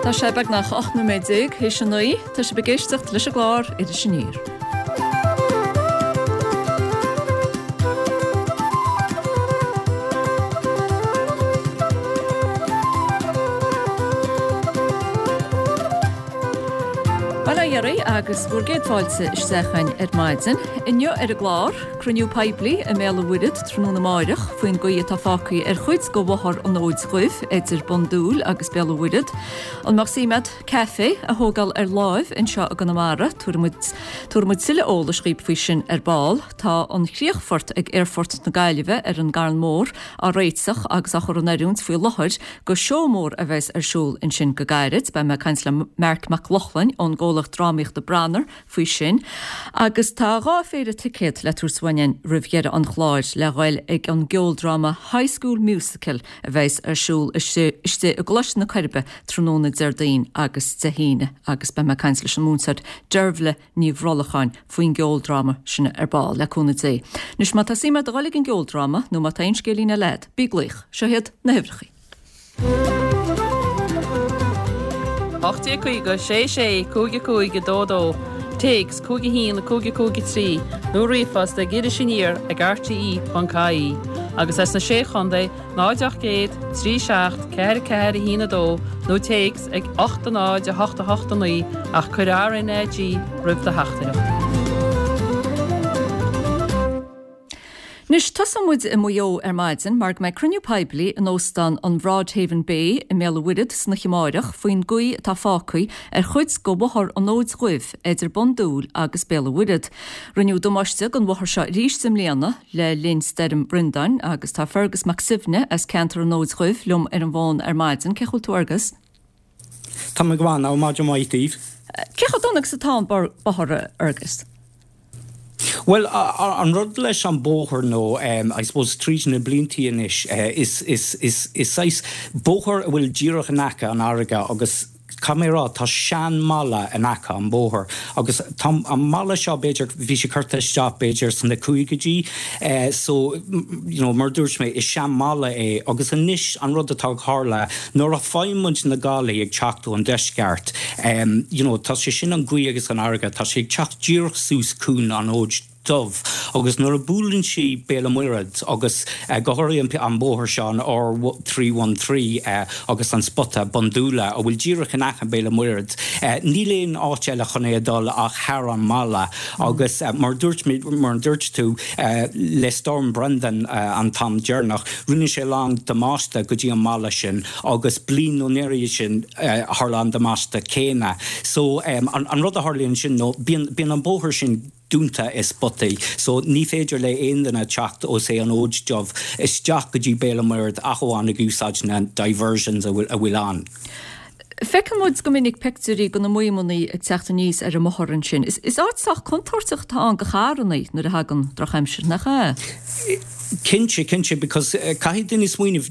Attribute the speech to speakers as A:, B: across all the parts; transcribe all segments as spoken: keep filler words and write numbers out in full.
A: Tá sé beagnach ocht nóiméad déag théis a naoi, tá sibh ag éisteacht leis an gclár Iris Aniar. Bail ó Dhia oraibh agus bhur gcéad fáilte isteach againn ar maidin. Inniu ar an gclár, cruinniú poiblí i mBéal an Mhuirthead tráthnóna amáireach faoin gcaoi atá fágtha ar chuid de Bhóthar an Fhóid Dhuibh idir Bun Dúill agus Béal an Mhuirthead. An mbeadh suim agat caife a thógáil ar láimh anseo i gConamara? Tabharfaidh muid tuilleadh eolais dhaoib faoi sin ar ball. Tá an críochfort ag Aerfort na Gaillimhe ar an gCarn Mór á réiteach agus á chur in oiriúint faoi láthair go seó mór a bheas ar siúl ansin go gairid. Beidh mé ag caint le Marc Mac Lochlainn ón gcomhlacht drámaíochta Branar faoi sin. Agus tá dhá phéire ticéad le tabhairt uainn roimh dheireadh an chláir le ghoil ag an gceoldráma High School Musical a bheas ar siúl istigh i gColáiste na Coiribe tráthnóna Déardaoin agus Dé hAoine agus beidh mé ag caint leis an múinteoir Deirbhile Ní Bhrolcháin faoin gceoldráma sin ar ball, le cúnamh Dé. Anois má tá suim agat a ghoil ag an gceoldráma nó má tá aon scéilín eile agat, bí ag glaoch. Seo iad na huimhreacha.
B: ocht déag caoga sé sé cúig cúig a dó dó, téacs cúig a haon cúig cúig a trí nó ríomhphost ag iris aniar ag rte ponc ie agus as na Sé Chontae náid ocht gcéad trí seacht ceathair ceathair a haon a dó nó téacs ag ocht a náid a hocht a hocht a naoi ach cuir RnaG roimh do theachtaireacht.
A: Anois, tosóidh muid i Maigh Eo ar maidin mar go mbeidh cruinniú poiblí in óstán an Broadhaven Bay i mBéal an Mhuirthead san oíche amáireach faoin gcaoi atá fágtha ar chuid de Bhóthar an Fhóid Dhuibh idir Bun Dúill agus Béal an Mhuirthead. Rinneadh damáiste don bhóthar seo arís i mbliana le linn Stoirm Brendan agus tá Fergus Mac Suibhne as ceantar an Fhóid Dhuibh liom ar an bhfón ar maidin. Cén chaoi a bhfuil tú, Fergus?
C: Tá mé go maith now, maidin mhaith daoibh.
A: Cé chomh dona agus atá an bóthar, a Fhergus?
C: Bhuel, an rud leis an bóthar nó, I suppose, tríd na bliantaí anois, is, is, is, is saghas bóthar a bhfuil díreach in aice an fharraige agus caithfidh mé a rá, tá sean-mballa in aice an bóthar agus tá an mballa seo b'fhéidir, bhí sé curtha isteach b'fhéidir sna cúigeidí so, you know, mar a dúirt mé, is sean-mballa é agus anois an rud atá ag tharla nuair a faigheann muid na gálaí ag teacht ón deisceart, you know, tá sé sin an ghaoth agus an fharraige, tá sé ag teacht díreach suas chun an Fhóid Dubh agus nuair a buaileann sí Béal an Mhuirthead agus go háirithe an bóthar seo, an R three one three agus an spota Bundoola a bhfuil díreach in aice Béal an Mhuirthead, níl aon áit eile chun é a dul ach thar an mballa agus mar a dúirt mé, mar a dúirt tú, le Storm Brendan an t-am deireanach, rinne sé a lán damáiste go dtí an mballa sin agus bliain nó roimhe sin tharla an damáiste céanna. So an rud a tharlaíonn sin nó bíonn bíonn an bóthar sin dúnta i spotaí so ní féidir le aon duine teacht ó say an Fhóid Dubh isteach go dtí Béal an Mhuirthead ach amháin ag úsáid na diversions a bhfuil a bhfuil ann.
A: Feiceann muid go minic pictiúirí de na maidhmeanna ag teacht aníos ar an mbóthar ansin. Is áit sách contúirteach atá ann do charranna nuair a thagann drochaimsir, nach ea?
C: Cinnte, cinnte, because caithfidh duine smaoineamh,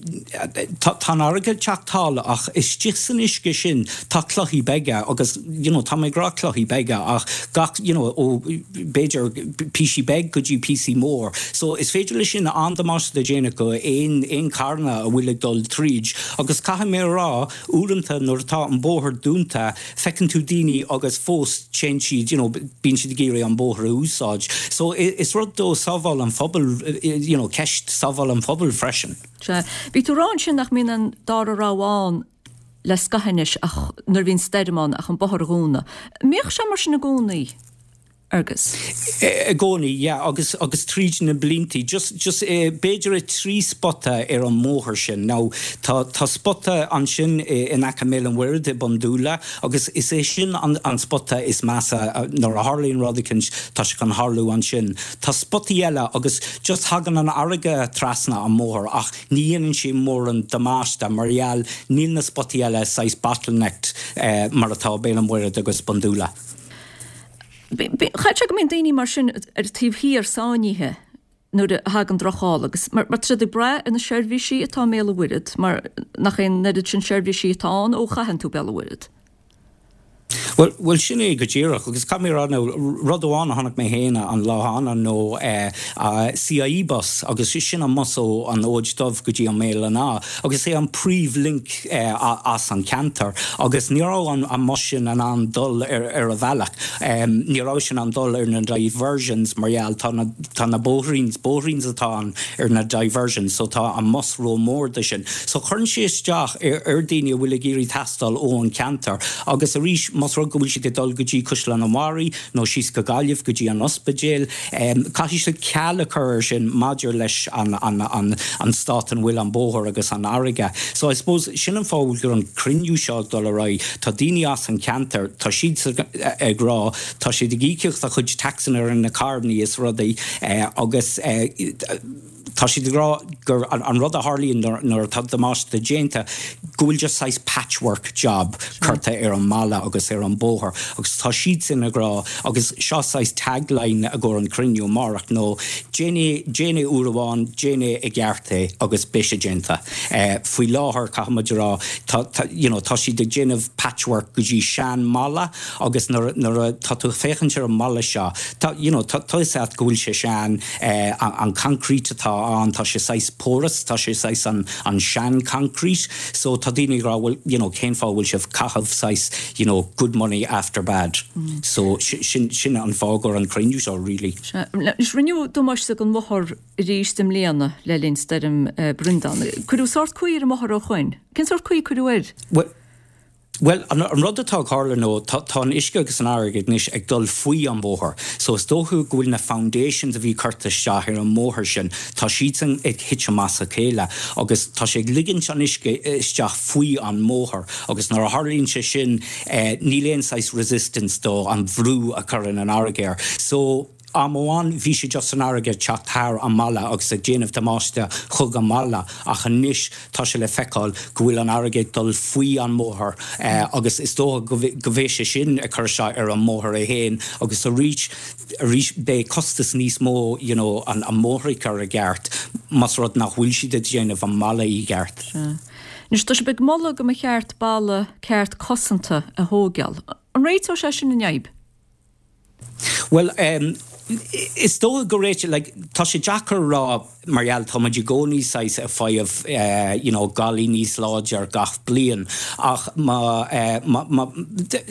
C: tá an fharraige ag teacht thall ach istigh san uisce sin tá clochaí beaga agus you know tá mé ag rá clochaí beaga ach gach you know ó b'fhéidir píosaí beag go dtí píosaí mór. So is féidir leis sin an-damáiste a dhéanamh go aon aon carranna a bhfuil ag dul tríd agus caithfidh mé a rá uaireanta nuair atá an bóthar dúnta feiceann tú daoine agus fós téann siad you know bíonn siad ag iarraidh an bóthar a úsáid. So is rud do sábháil an phobail you know ceist sábháil an phobail freisin.
A: Sea. Bhí tú ag rá ansin nach mbíonn an dara rogha ann le scaitheamh anois ach nuair a bhíonn stoirm ann ach an bóthar a dhúnadh. An mbíodh sé mar sin i gcónaí? Fergus.
C: I gcónaí, yeah, agus agus tríd na bliantaí, just just b'fhéidir i trí spota ar an mbóthar sin. Now tá tá spota ansin in aice Béal an Mhuirthead i Bundoola agus is é sin an an spota is measa nuair a tharlaíonn rud eicínt tá sé chun tharlú ansin. Tá spotaí eile agus just thagann an fharraige trasna an mbóthar ach ní dhéanann sé mórán damáiste mar gheall níl na spotaí eile saghas bottlenecked mar atá Béal an Mhuirthead agus Bundoola.
A: Chaithfeadh sé go mbíonn daoine mar sin ar an taobh thiar sáinnithe nuair a thagann drocháil agus mar tá siad ag brath ar na seirbhísí atá i mBéal an Mhuirthead mar nach é an oiread sin seirbhísí atá ann ó chaitheann tú Béal an Mhuirthead.
C: Well, well sin é go díreach agus caithfidh mé a rá nó rud amháin a chonaic mé féin an lá cheana nó eh, uh, CIE bus agus sin an bus ó an Fhóid Dubh go dtí an Béal an Átha agus é an príomhlink eh, as an ceantar agus ní raibh an, an bus sin in ann dul ar, ar a bhealach. Um, ní raibh sin in ann dul ar na diversions mar gheall tá na, tá na bóithríns bóithríns atá an ar na diversions, so tá an bus ró-mhór do sin. So chuireann sé isteach ar, ar daoine a bhfuil ag iarraidh taisteal ó an ceantar agus arís más rud go bhfuil siad ag dul go dtí Caisleán an Bharraigh nó síos go Gaillimh go dtí an ospidéal. Um, Caithfidh siad ceal a chur sin maidir leis an, an, an, an stát an bhfuil an bóthar agus an fharraige. So I suppose sin an fáth gur an cruinniú seo dul ar aghaidh Tá daoine as an ceantar tá siad ag rá tá siad ag íoc a chuid taxanna ar na carranna is rudaí eh, agus eh, tá siad ag rá gur an, an rud a tharlaíonn nuair atá damáiste déanta go bhfuil just saghas patchwork job curtha ar an mballa agus ar an bóthar agus tá siad sin ag rá agus seo saghas tagline a go an cruinniú amárach nó déan déan é uair amháin déan é i gceart é agus beidh sé déanta. Uh, Faoi láthair caithfimid rá tá, tá, you know, tá siad ag déanamh patchwork go dtí seanbhalla agus nuair tá tú féachaint ar an mballa seo tá you know, tá tá go bhfuil sé sean uh, an, an concrete atá an tá sé saghas porous tá sé saghas an, an sean concrete so tá daoine rá well you know cén fáth bhfuil sibh caitheamh saghas you know good money after bad mm. so sin sin an fáth gur an cruinniú seo really.
A: Is rinneadh damáiste don bhóthar arís i mbliana le linn stoirm uh, Brendan. Cuireadh sórt caoi ar an mbóthar ó shin? Cén sórt caoi cuireadh air?
C: Well, Well an, an rud atá tarlaithe nó tá, tá an uisce agus an fharraige anois ag dul faoi an bóthar. So is dócha go bhfuil na foundations a bhí curtha isteach ar an mbóthar sin, tá siad sin ag titim as a chéile agus tá sé ag ligint an uisce isteach faoi an mbóthar agus nuair a tharlaíonn sé sin eh, níl aon saghas resistance do an bhrú a chuireann an fharraige air. So am amháin bhí sé just an fharraige teacht thar an mballa agus ag déanamh damáiste chuig an mballa ach anois tá sé le feiceáil go bhfuil an fharraige dul faoi an mbóthar eh, agus is dócha go bhfuil sé sin ag cur isteach ar an mbóthar é féin agus arís arís beidh costas níos mó you know, an, an mbóthar a chur i gceart más rud nach bhfuil siad ag déanamh an mballa i gceart.
A: Anois tá sibh ag moladh go mba cheart balla ceart cosanta a thógáil. An réiteodh sé sin an fhadhb?
C: Well um, is dócha go réite like, tá sé deacair rá mar gheall tá i gcónaí saghas ag fáil uh, you know, gálaí níos láidir gach bliain ach má, uh, má, má,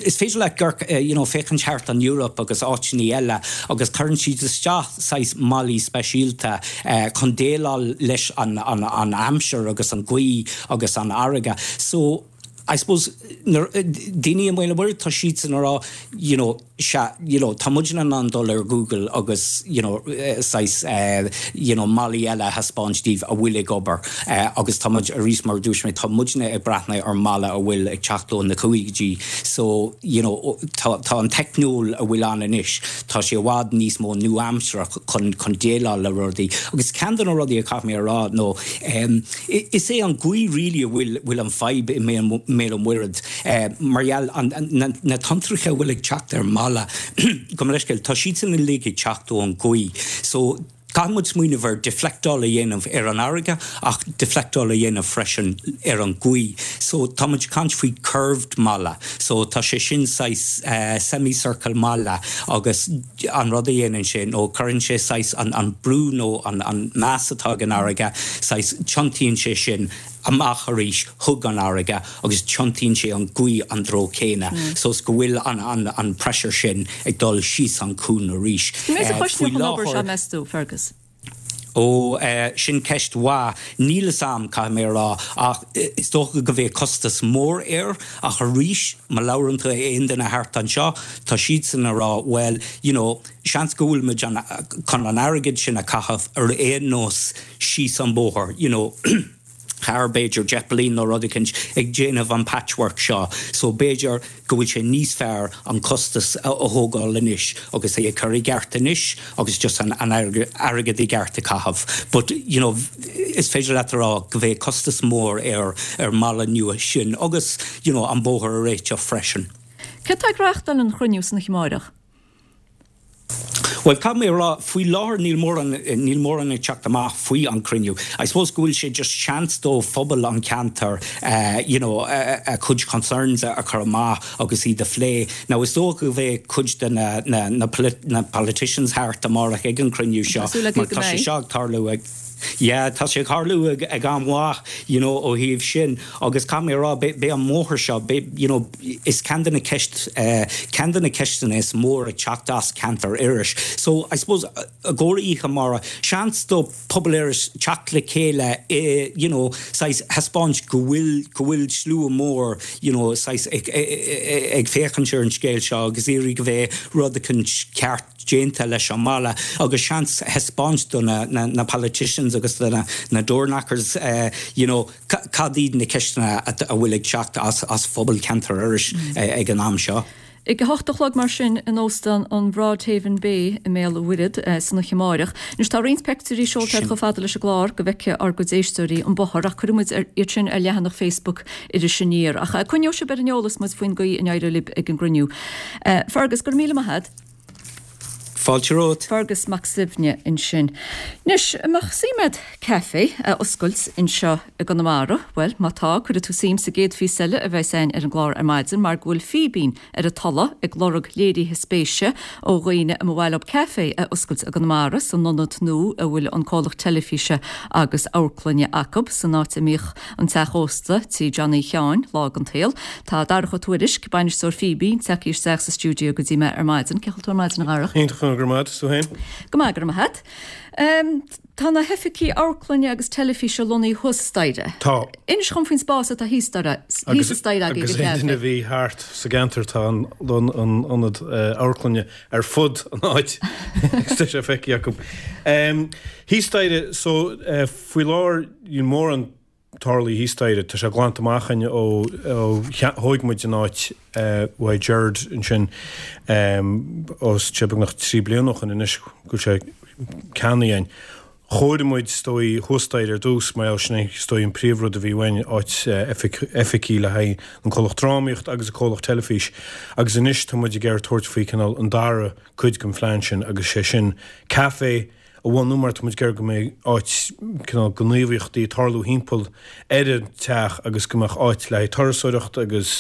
C: is féidir le gur uh, you know, féachaint thart an Europe agus áiteanna eile agus cuireann siad isteach saghas ballaí speisialta uh, chun déileáil leis an, an, an aimsir agus an ghaoth agus an fharraige. So I suppose daoine an bhfuil tá siad sin rá you know, se you know, tá muid in ann dul ar Google agus you know, saghas uh, you know, ballaí eile thaispeáint daoibh a bhfuil ag obair uh, agus tá muid arís mar dúirt mé tá muidne ag breathnú ar mballa a bhfuil ag teacht ó na caogaidí so you know, tá, tá an teicneolaíocht a bhfuil ann anois tá sé i bhfad níos mó nua-aimseartha chun chun déileáil le rudaí agus ceann de na rudaí a chaith mé rá nó um, is é an ghaoth really a bhfuil bhfuil an fhadhb i mBéal an Mhuirthead uh, mar gheall na, na tonntracha bhfuil ag teacht ar mballa go leisceil tá siad sin uilig ag teacht ó an ghaoth. So Caithfimid smaoineamh ar deflectáil a dhéanamh ar an fharraige ach deflectáil a dhéanamh freisin ar an ghaoth. So tá muid caint faoi curved mballa, so tá sé sin saghas uh, semicircle mballa agus an rud a dhéanann sé nó cuireann sé saghas an, an brú nó an, an mass atá an fharraige, saghas tiontaíonn sé sin amach arís chuig an fharraige agus tiontaíonn sé an ghaoth an treo céanna. Mm. So go bhfuil an, an, an pressure sin ag dul síos an cuan arís.
A: Uh, meas tú Fergus.
C: ó uh, sin ceist mhaith níl a fhios agam caithfidh mé rá ach is dócha go bheidh costas mór air ach arís má labhrann tú aon duine thart anseo tá siad sin ag rá well you know seans go bhfuil muid chun an airgead sin a chaitheamh ar aon nós síos an bóthar you know thar b'fhéidir deich mbliana nó rud éicint ag déanamh an patchwork seo, so b'fhéidir go bhfuil sé níos fearr an costas a thógáil anois agus é chur i gceart anois agus just an, an airgead i gceart a chaitheamh. But you know, is féidir leat rá go bheidh costas mór ar ar mballa nua sin agus you know, an bóthar a réiteach freisin.
A: Cé tá ag reáchtáil an chruinniú san amárach?
C: Well caithfidh mé a rá, faoi láthair níl mórán níl mórán ag teacht amach faoi an cruinniú. I suppose go bhfuil sé just seans do phobal an ceantar uh, you know, a, a cuid concerns a, a chur amach agus iad a phlé. Now is dócha go bheidh cuid de na, na, na, polit, na politicians thart amárach ag an cruinniú seo. Mar tá sé seo ag tarlú ag Yeah, tá sé ag tarlú ag, ag am mhaith you know, ó thaobh sin agus caithfidh mé a rá b'é an mbóthar seo you know, is ceann de na ceist uh, ceann de na ceisteanna is mór ag teacht as ceantar Iorrais. So I suppose i gcomhair oíche amárach seans do pobal Iorrais teacht le chéile eh, you know, saghas thaispeáint go bhfuil go bhfuil slua mór you know, saghas ag, ag, ag féachaint ar an scéal seo agus iarraidh go bheith rud éicint ceart déanta leis an mbaile agus seans thaispeáint do na, na, na politicians agus do na, na door knockers uh, you know, cad iad na ceisteanna a bhfuil ag teacht as, as phobal ceantar Iorrais mm. uh, ag an am seo.
A: Ag a hocht a chlog mar sin in óstán an Broadhaven Bay i mBéal an Mhuirthead uh, san oíche amárach. Anois tá roinnt pictiúirí seolta chomh fada leis an gclár go bhfeicfidh ár gcuid éisteoirí an bóthar ach cuirfidh muid iad sin ar leathanach Facebook Iris Aniar. Ach uh, coinneoidh sibh ar an eolas muid faoin gcaoi a n-éireoidh libh ag an gcruinniú. Uh, Fergus go raibh míle maith agat.
C: Fáilte romhat.
A: Fergus Mac Suibhne ansin. Anois an mbeadh suim agat caife a oscailt anseo i gConamara, well má tá cuirfidh tú suim sa gcéad phíosa eile a bheas againn ar an gclár ar maidin mar go bhfuil Fíbín ar an tolladh ag lorg léirithe spéise ó dhaoine a mba mhaith leo caife a oscailt i gConamara san ionad nua a bhfuil an comhlacht teilifíse agus amharclainne acu san áit a mbíodh an teach ósta tí Johnny Sheáin lá den tsaol. Tá Darach Ó Tuairisg bainisteoir Fíbín tagtha isteach sa stiúideo go dtí mé ar maidin, cén chaoi a bhfuil tú ar maidin a Dharach.
D: Iontach go maith tú féin?
A: Go maith go maith. Um, tá na hoifigí amharclainne agus teilifíse lonnaithe thuas staighre.
D: Tá.
A: Inis dhom faoin spás atá thíos staighre thíos staighre
D: Agus aon duine a bhí thart sa gceantar tá an an ionad amharclainne ar fud an áit agus tá sé feicthe acu. Um, thíos staighre so uh, faoi láthair níl mórán tarlaithe thíos staighre, tá sé glanta amach againn ó thóg muid an áit uaidh Gerard ansin os cionn beagnach trí bliana ó shin anois go bhfuil sé ceannaithe againn. Chóirigh muid is dóigh thuas staighre ar dtús mar gheall sin é is dóigh an príomhrud a bhí uainn, áit oifigí le haghaidh an comhlacht drámaíocht agus an comhlacht teilifís agus anois tá muid ag iarraidh tabhairt faoi cineál an dara cuid den phlean sin agus sé sin caife a bhunú mar tá muid ag iarraidh go mbeidh áit cineál gníomhaíochtaí ag tarlú thimpeall ar an teach agus go mbeadh áit le haghaidh turasóireacht agus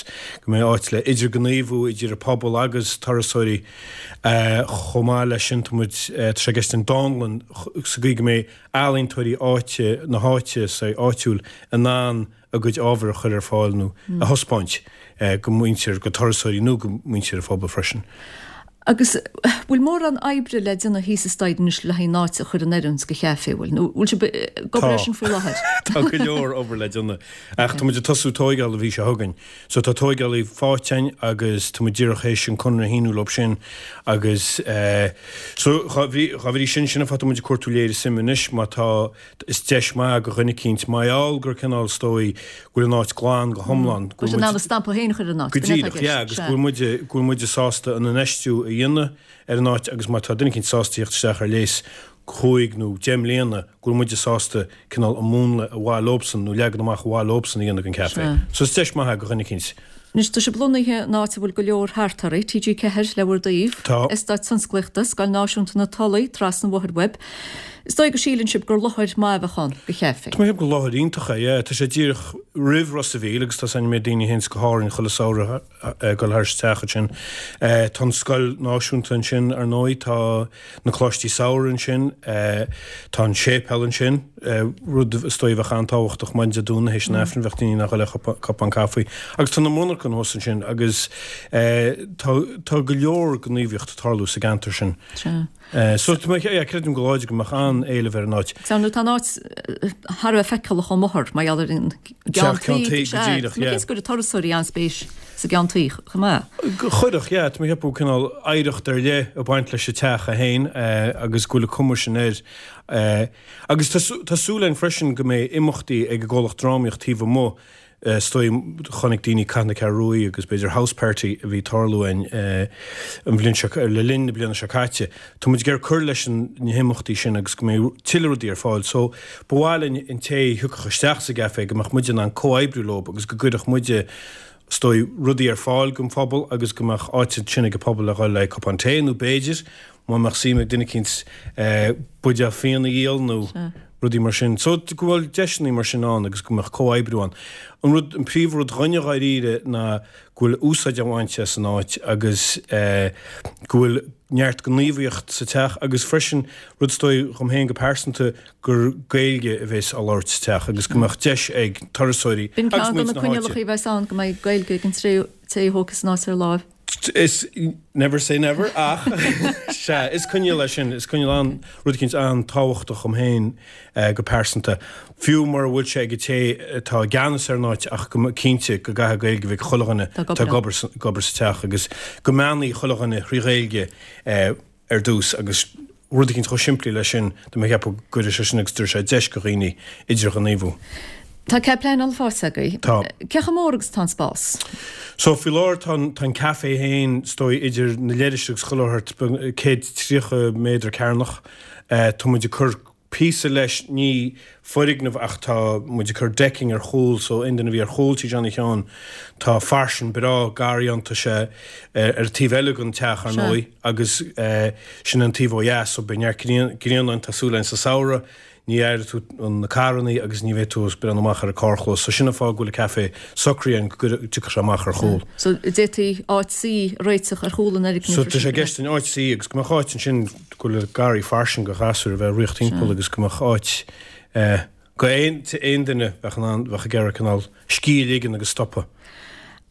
D: go mbeidh áit le idirghníomhú idir an pobal agus turasóirí. Chomh maith leis sin tá muid, tá sé i gceist an dánlann sa gcaoi go mbeidh ealaíontóirí áite na háite, áitiúil in ann a gcuid ábhair a chur ar fáil nó a thaispeáint go muintir, go turasóirí nó go muintir an phobail freisin.
A: Agus bhfuil mórán oibre le déanamh thíos staighre anois le haghaidh an áit a chur in oiriúint do chaife, bhfuil? Nó bhfuil sibh ag obair air sin faoi láthair?
D: Tá go leor obair le déanamh. Ach tá muid ag tosú tóigeáil an mhí seo chugainn. So tá tóigeálaí faighte againn agus tá muid díreach théis an conradh a shíniú leo sin agus so dá bhrí sin, sin an fáth tá muid ag cuartú léirithe suime anois má tá Is deis maith do dhuine eicínt, mar gheall gur cineál is dóigh go bhfuil an áit glan go hiomlán,
A: go bhfuil muid. Go bhfuil sibh in ann an stampa féin a chur ar an áit,
D: Go díreach, yeah, agus go bhfuil muid, go bhfuil muide sásta an infheistiú a dhéanamh ar an áit agus má tá duine eicínt sásta theacht isteach ar léas cúig nó deich mbliana, go bhfuil muide sásta cineál an múnla ar mhaith leobsan nó leagan amach ar mhaith leobsan a dhéanamh den caife. So is deis maith é do dhuine eicínt.
A: Anois, tá sibh lonnaithe in áit a bhfuil go leor thart oraibh, T G ceathair le bhur dtaobh,
D: Tá.
A: Eastát Tionsclaíochta, Scoil Náisiúnta na Tulaí, trasna an bhóthair uaibh. Is dóigh go síleann sibh gur láthair maith a bheadh ann do chaife.
D: Tá mé ag ceapadh gur láthair iontach é, yeah. Tá sé díreach roimh Ros a' Mhíl agus tá a fhios againn an méid daoine a théanns go hÁrainn chuile samhradh ag dul thar isteach ansin. Tá an Scoil Náisiúnta ansin, ar ndóigh, tá na Coláistí Samhraidh ansin, tá an séipéal ansin, rud is dóigh a bheadh an-tábhachtach maidin Dé Domhnaigh théis an Aifrinn, bheadh daoine in ann a dhul le cupán caife. Agus tá na monarchana thuas ansin agus tá tá go leor gníomhaíocht ag tarlú sa gceantar sin.
A: Sea.
D: So tá mé, yeah, creidim go láidir go mbeadh an-éileamh ar an áit.
A: Sea, nó tá an áit thar a bheith feiceálach ón mbóthar mar gheall ar an gceann
D: Ceann
A: tuí.
D: tuí, go
A: Sea,
D: díreach,
A: tá mé
D: yeah.
A: cinnte go gcuirfeadh turasóirí an-spéis sa gceann tuí chomh maith.
D: Chuirfeadh, yeah, tá mé ag ceapadh cineál oidhreacht ar leith ag baint leis an teach é féin agus go bhfuil an cuma sin air. Agus tá súil againn freisin go mbeidh imeachtaí ag an gcomhlacht drámaíocht taobh amuigh, is dóigh, chonaic daoine Cath na Ceathrún Rua agus b'fhéidir House Party a bhí ag tarlú againn an bhliain seo, le linn na bliana seo caite. Tá muid ag iarraidh cur leis na himeachtaí sin agus go mbeidh tuilleadh rudaí ar fáil. So ba mhaith linn an té a thiocfadh isteach sa gcaifé go mbeadh muide in ann comhoibriú leo agus go gcuirfeadh muide, is dóigh, rudaí ar fáil don phobal agus go mbeadh áit ansin ag an pobal le dhul le cupán tae nó b'fhéidir, má mbeadh suim ag duine eicínt buidéal fíona a dhíol nó rudaí mar sin. So go bhfuil deiseanna mar sin ann agus go mbeadh comhoibriú ann. An rud, an príomhrud dhúinne dháiríre ná go bhfuil úsáid á bhaint as an áit agus go bhfuil neart gníomhaíocht sa teach agus freisin rud is dóigh dhom féin go pearsanta gur Gaeilge a bheas á labhairt sa teach agus go mbeadh deis ag turasóirí
A: B'in ceann de na coinníollacha a bheas ann go mbeidh Gaeilge ag an té a thógfas an áit ar láimh.
D: Is never say never ach sea, is coinníoll é sin, is coinníoll an, rud eicínt an-tábhachtach dhom féin go pearsanta. Fiú mura bhfuil sé ag an té atá i gceannas ar an áit ach go cinnte go gcaithfidh Gaeilge a bheith ag chuile dhuine atá ag obair, ag obair sa teach agus go mbeannaí chuile dhuine thrí Ghaeilge ar dtús agus rud eicínt chomh simplí leis sin, tá mé ag ceapadh go gcuirfidh sé sin agus tabharfaidh sé deis go dhaoine idirghníomhú.
A: Tá cead pleanála faighte agaibh.
D: Tá.
A: Cé chomh mór agus atá an spás?
D: So faoi láthair tá an, tá an café féin is dóigh idir na leithris agus chuile shórt céad tríocha méadar cearnach. Tá muid ag cur píosa leis, ní foirgneamh ach tá muid ag cur decking ar chúl so aon duine a bhí ar chúl Tí Johnny Sheáin tá fairsing breá garraí ann, tá sé ar an taobh eile den teach ar ndóigh agus sin an taobh ó dheas so beidh neart grian ann, tá súil againn sa samhradh. Ní aireoidh tú na carrannaí agus ní bheidh tú ag breathnú amach ar an carrchlós. So sin an fáth go bhfuil an café socraithe againn go dtiocfadh sé amach ar chúl.
A: So d'fhéadfaí áit suí a réiteach ar chúl an fhoirgnimh
D: So tá sé i gceist an áit suí agus go mbeadh áit ansin go bhfuil garraí fairsing do ghasúir a bheith ag rith timpeall agus go mbeadh áit go aon aon duine bheadh in ann bheadh ag iarraidh cineál scíth a ligean agus stopadh.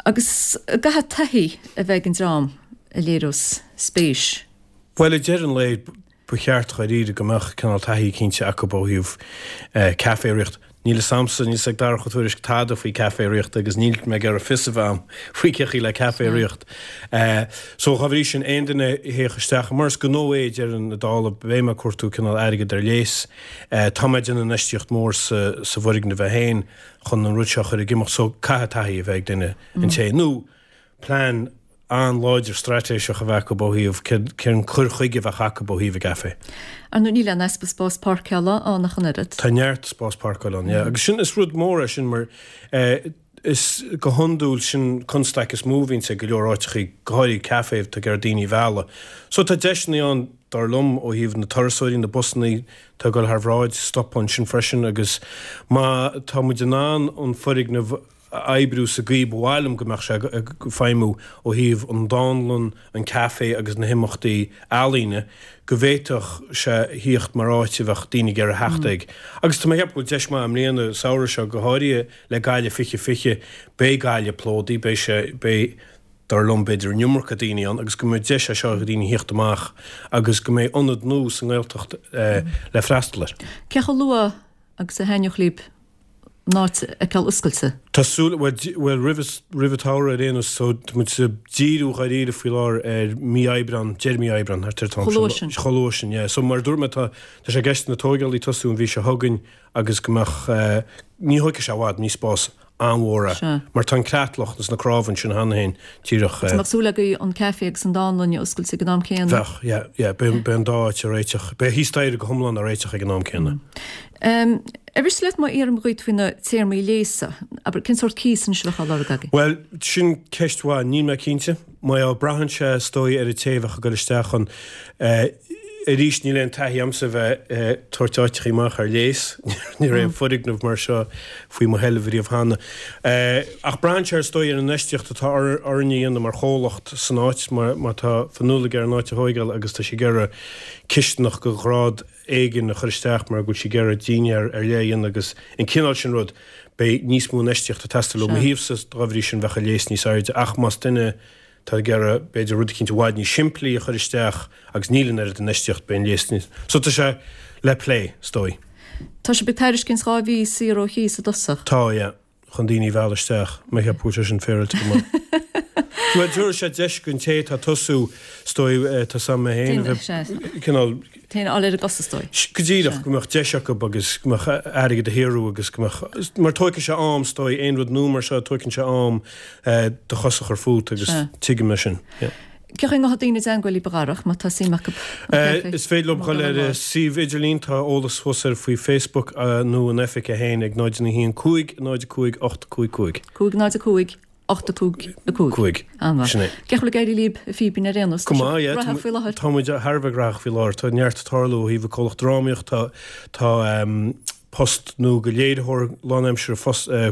A: Agus an gcaithfidh taithí a bheith ag an dream a léireos spéis?
D: Bhuel, ag deireadh an lae, Ba cheart dháiríre go mbeadh cineál taithí cinnte acu ó thaobh caife a ritheacht. Níl fhios a'msa, níl fhios ag Darach Ó Tuairisg tada faoi caife a ritheacht agus níl mé ag iarraidh fios a bheith a'm faoi cé chaoi le caife a ritheacht. So dá bhrí sin, aon duine a théadh isteach, mar is gnó é ag deireadh na dála, beidh mé ag cuartú cineál airgead ar léas. Tá mé ag déanamh infheistíocht mhór sa sa bhfoirgneamh é féin chun an rud seo a chur ag imeacht so caithfidh taithí a bheith ag duine an té nó plean an-láidir straitéiseach a bheith acu ó thaobh cén cur chuige a bheadh acu ó thaobh an gcaife.
A: Ar ndóigh níl aon easpa spás páirceála ann ach an oiread.
D: Tá neart spás páirceála ann, yeah. Agus sin, is rud mór é sin mar is go hiondúil sin constaic is mó a bhíonns ag go leor áiteachaí, go háirithe caife atá ag iarraidh daoine a mhealladh. So tá deiseanna ann dar liom ó thaobh na turasóirí, na busannaí atá ag dul thar bhráid, stopadh ansin freisin agus má tá muid in ann an foirgneamh a oibriú sa gcaoi ba mhaith liom go mbeadh sé ag feidhmiú ó thaobh an dánlann, an caife agus na himeachtaí ealaíne, go bhféadfadh sé thíocht mar áit a bheadh daoine ag iarraidh theacht ag. Agus tá mé ag ceapadh go bhfuil deis maith i mbliana, an samhradh seo, go háirithe le Gaillimh fiche fiche, beidh Gaillimh plódaithe, beidh sé, beidh, dar liom, b'fhéidir an iomarca daoine ann agus go mbeidh deis é seo do dhaoine thíocht amach agus go mbeidh ionad nua sa nGaeltacht le freastal air.
A: Cé chomh luath agus a thaitneodh libh an áit a fheiceáil oscailte.
D: Tá súil, bhuel, bhuel, roimh, roimh an tsamhradh ar aon nós, so tá muid ag díriú dháiríre faoi láthair ar mí Aibreán, deireadh mí Aibreán, thart ar an t-am
A: sin. Chomh luath sin.
D: Chomh luath sin, yeah. So mar a dúirt mé, tá, tá sé i gceist na tóigeálaí tosú an mhí seo chugainn agus go mbeadh, eh, ní thógfaidh sé i bhfad, ní spás an-mhór é.
A: Sea.
D: Mar tá an creatlach agus na cnámha ansin cheana féin, díreach, eh.
A: An mbeadh súil agaibh an caife agus an dánlann a oscailt ag an am céanna?
D: Bheadh, yeah, yeah, beidh, beidh an dá áit á réiteach, beidh thíos staighre go hiomlán á réiteach ag an am céanna.
A: Ar mhiste leat má iarraim dhuit faoi na téarmaí léasa, abair, cén sórt cíos anois a bheadh á lorg agaibh?
D: Bhuel, sin ceist mhaith. Níl mé cinnte. Mar braitheann sé, is dóigh, ar an té a bheadh ag dul isteach ann. Arís, níl aon taithí a'msa bheith ag tabhairt áiteachaí amach ar léas. Ní raibh aon foirgneamh mar seo faoi mo sheilbh riamh cheana. Ach braitheann sé, is dóigh, ar an infheistíocht atá orainn a dhéanamh mar chomhlacht san áit, má tá Fionnuala ag iarraidh an áit a thóigeáil agus tá sí ag iarraidh cisteanach de ghrád éigin a chur isteach mar go bhfuil sí ag iarraidh dinnéar ar leith a dhéanamh agus an cineál sin rud, beidh níos mó infheistíochta ag teastáil ó mo thaobhsa, dá bhrí sin bheadh an léas níos airde ach más duine atá ag iarraidh b'fhéidir rud eicínt i bhfad níos simplí a chur isteach agus níl an oiread infheistíocht beidh an léas níos, so tá sé le plé, is dóigh.
A: Tá sibh ag tairiscint dhá mhí saor ó chíos i dtosach.
D: Tá, yeah. chun daoine a mhealladh isteach. Mé ag ceapadh go bhfuil sé sin féaráilte go maith. Bhuel, tabharfaidh sé deis don té atá ag tosú, is dóigh, tá a fhios agam mé féin a bheith cineál.
A: Féin a fháil ar a gcosa, is dóigh.
D: Go díreach, go mbeadh deis acu agus go mbeadh airgead a shaothrú agus go mbeadh, mar tóigfidh sé am, is dóigh, aon rud nua mar seo, tóigeann sé am do chosa a chur fút agus tuigim é sin. Yeah.
A: Cén chaoi a ngabhfaidh daoine i dteangmháil libh a Dharach, má tá suim acu an caife?
D: Is féidir leo dul ar an suíomh idirlín, tá eolas thuas air faoi Facebook, nó an oifig é féin ag náid naoi haon cúig náid cúig ocht cúig cúig.
A: Cúig náid a cúig, ocht a cúig a cúig.
D: Cúig.
A: An-mhaith.
D: Sin é.
A: Cén chaoi a bhfuil ag éirí libh, a Fíbín, ar aon nós?
D: Go maith, yeah.
A: Graitheach faoi láthair.
D: Tá muid thar a bheith graitheach faoi láthair. Tá neart ag tarlú ó thaobh an comhlacht drámaíocht, tá tá um, post nua go léiritheoir lánaimseartha fos eh,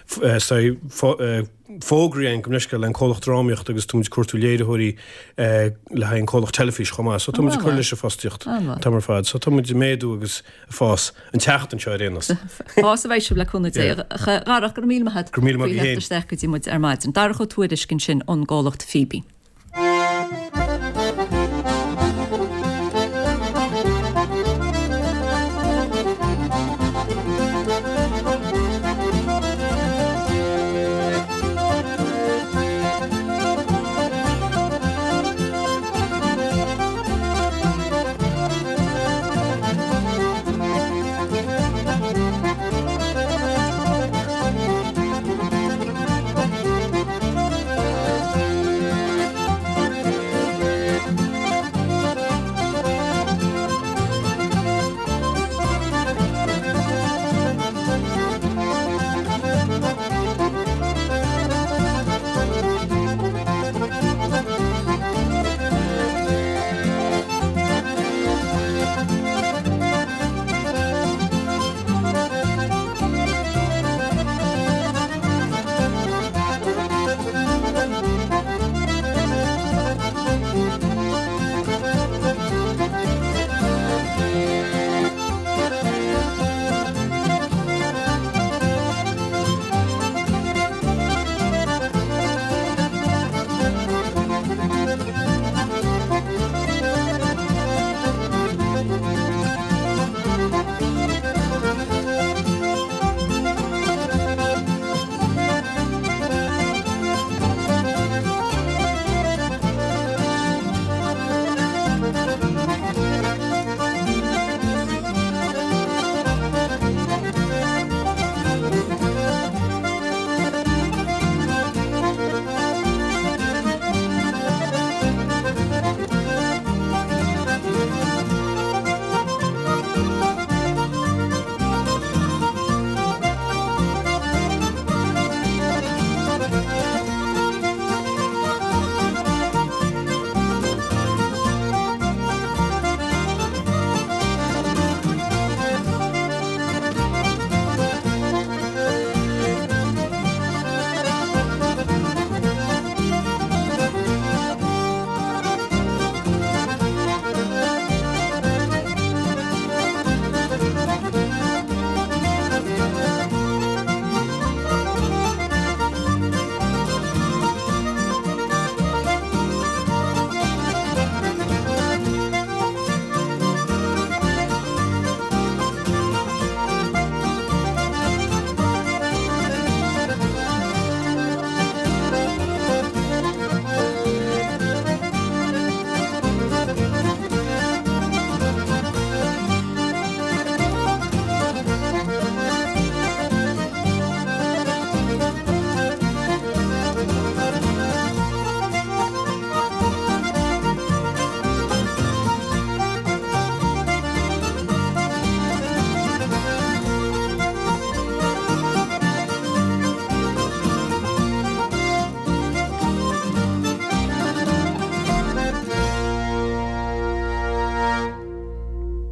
D: f- eh, sorry, fo- eh, fógraithe againn go leis an comhlacht drámaíocht agus tá muid ag cuartú léiritheoirí eh, le haghaidh an comhlacht teilifís chomh maith. So tá muid ag cur leis an fostaíocht
A: An-mhaith.
D: tá mar fad. So tá muid ag méadú agus ag fás an tseachtain seo ar aon nós.
A: Fás a bheidh sibh le cúnamh Dé. A Dharach, go raibh míle maith agat.
D: Go raibh míle maith
A: Faoi
D: agat
A: theacht
D: féin.
A: isteach go dtí muid ar maidin. Darach Ó Tuairisg ansin ón gcomhlacht Fíbín.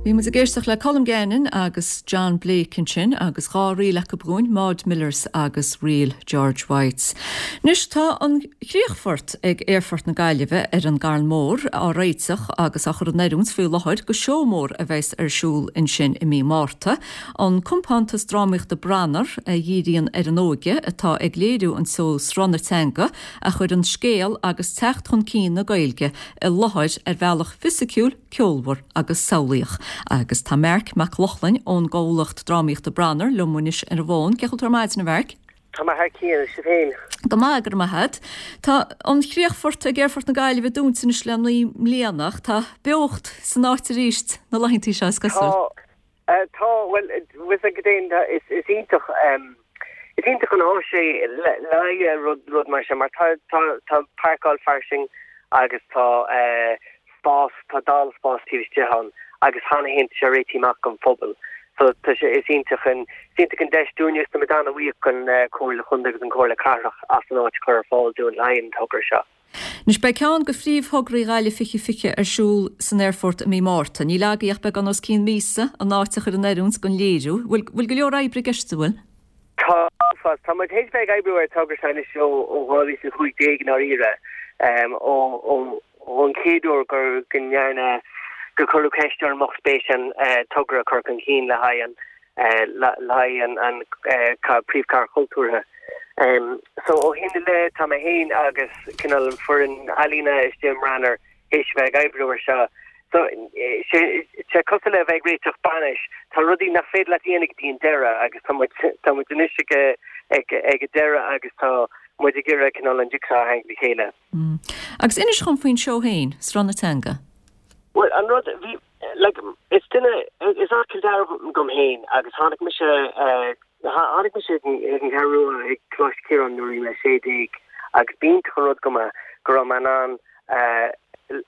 A: Bhí muid ag éisteacht le Colm Gannon agus John Blake ansin agus dhá ríl acu dúinn, Maud Millers agus ríl George White. Anois tá an críochfort ag Aerfort na Gaillimhe ar an gCarn Mór á réiteach agus á chur in oiriúint faoi láthair go seó mór a bheas ar siúl ansin i mí Márta. An compántas drámaíochta Branar a dhíríonn ar an óige atá ag léiriú an seó Sruth na Teanga a chuir an scéal agus teacht chun cinn na Gaeilge i láthair ar bhealach fisiciúil, ceolmhar agus samhlaíoch. Agus tá Marc Mac Lochlainn ón gcomhlacht drámaíochta Branar liom anois ar an bhfón. Cén chaoi a bhfuil tú ar maidin, a Mharc?
E: Tá mé thar cionn, sibh féin.
A: Go maith, go raibh maith agat. Tá an chríochfort ag Aerfort na Gaillimhe dúnta anois le naoi mbliana ach tá beocht san áit arís na laethanta seo is cosúil.
E: Tá, tá, bhuel, bhfuil a fhios agat is is iontach um, is iontach an áis é le le rud rud mar sin mar tá tá tá páirceáil fairsing agus tá uh, spás tá dál spás taobh istigh ann agus cheana féin sé réitithe amach don phobal. So tá sé is iontach an is iontach an deis dúinn is tá muid an-bhuíoch don Chomhairle Chontae agus an Chomhairle Cathrach as an áit a chur ar fáil dúinn le haghaidh an togra seo.
A: Anois beidh ceann de phríomhthograí Ghaillimh fiche fiche ar siúl san aerfort i mí Márta. Níl agaibh ach beagán os cionn míosa an áit a chur in oiriúint don léiriú. Bhfuil bhfuil go leor oibre i gceist, an bhfuil?
E: Tá, fás. Tá muid théis bheith ag oibriú ar an togra seo anois ó ó dhá mhíle is a cúig déag i ndáiríre, ó ó ón chéad uair gur go ndearna gur cuireadh ceist orm an mbeadh spéis agam togra a chur chun cinn le haghaidh an le haghaidh an an príomhchathair chultúrtha. So ó shin i leith tá mé féin agus cineál an foireann ealaíne istigh i mBranar théis bheith ag oibriú ar seo. So sé sé cosúil le bheith ag réiteach bainis, tá rudaí nach féidir leat a dhéanamh go dtí an deireadh agus tá muid tá muid anois ag ag ag an deireadh agus tá muid ag iarraidh cineál an jigsaw a tharraingt le chéile.
A: Agus inis dhom faoin seó féin, Sruth na Teanga.
E: Bhuel an rud bhí like is duine is as Cill Dara dom féin agus tháinig mise tháinig mise ag an Cheathrú Rua ag Coláiste Chiaráin nuair a bhí mé sé déag agus b'iontach an rud dom go raibh mé in ann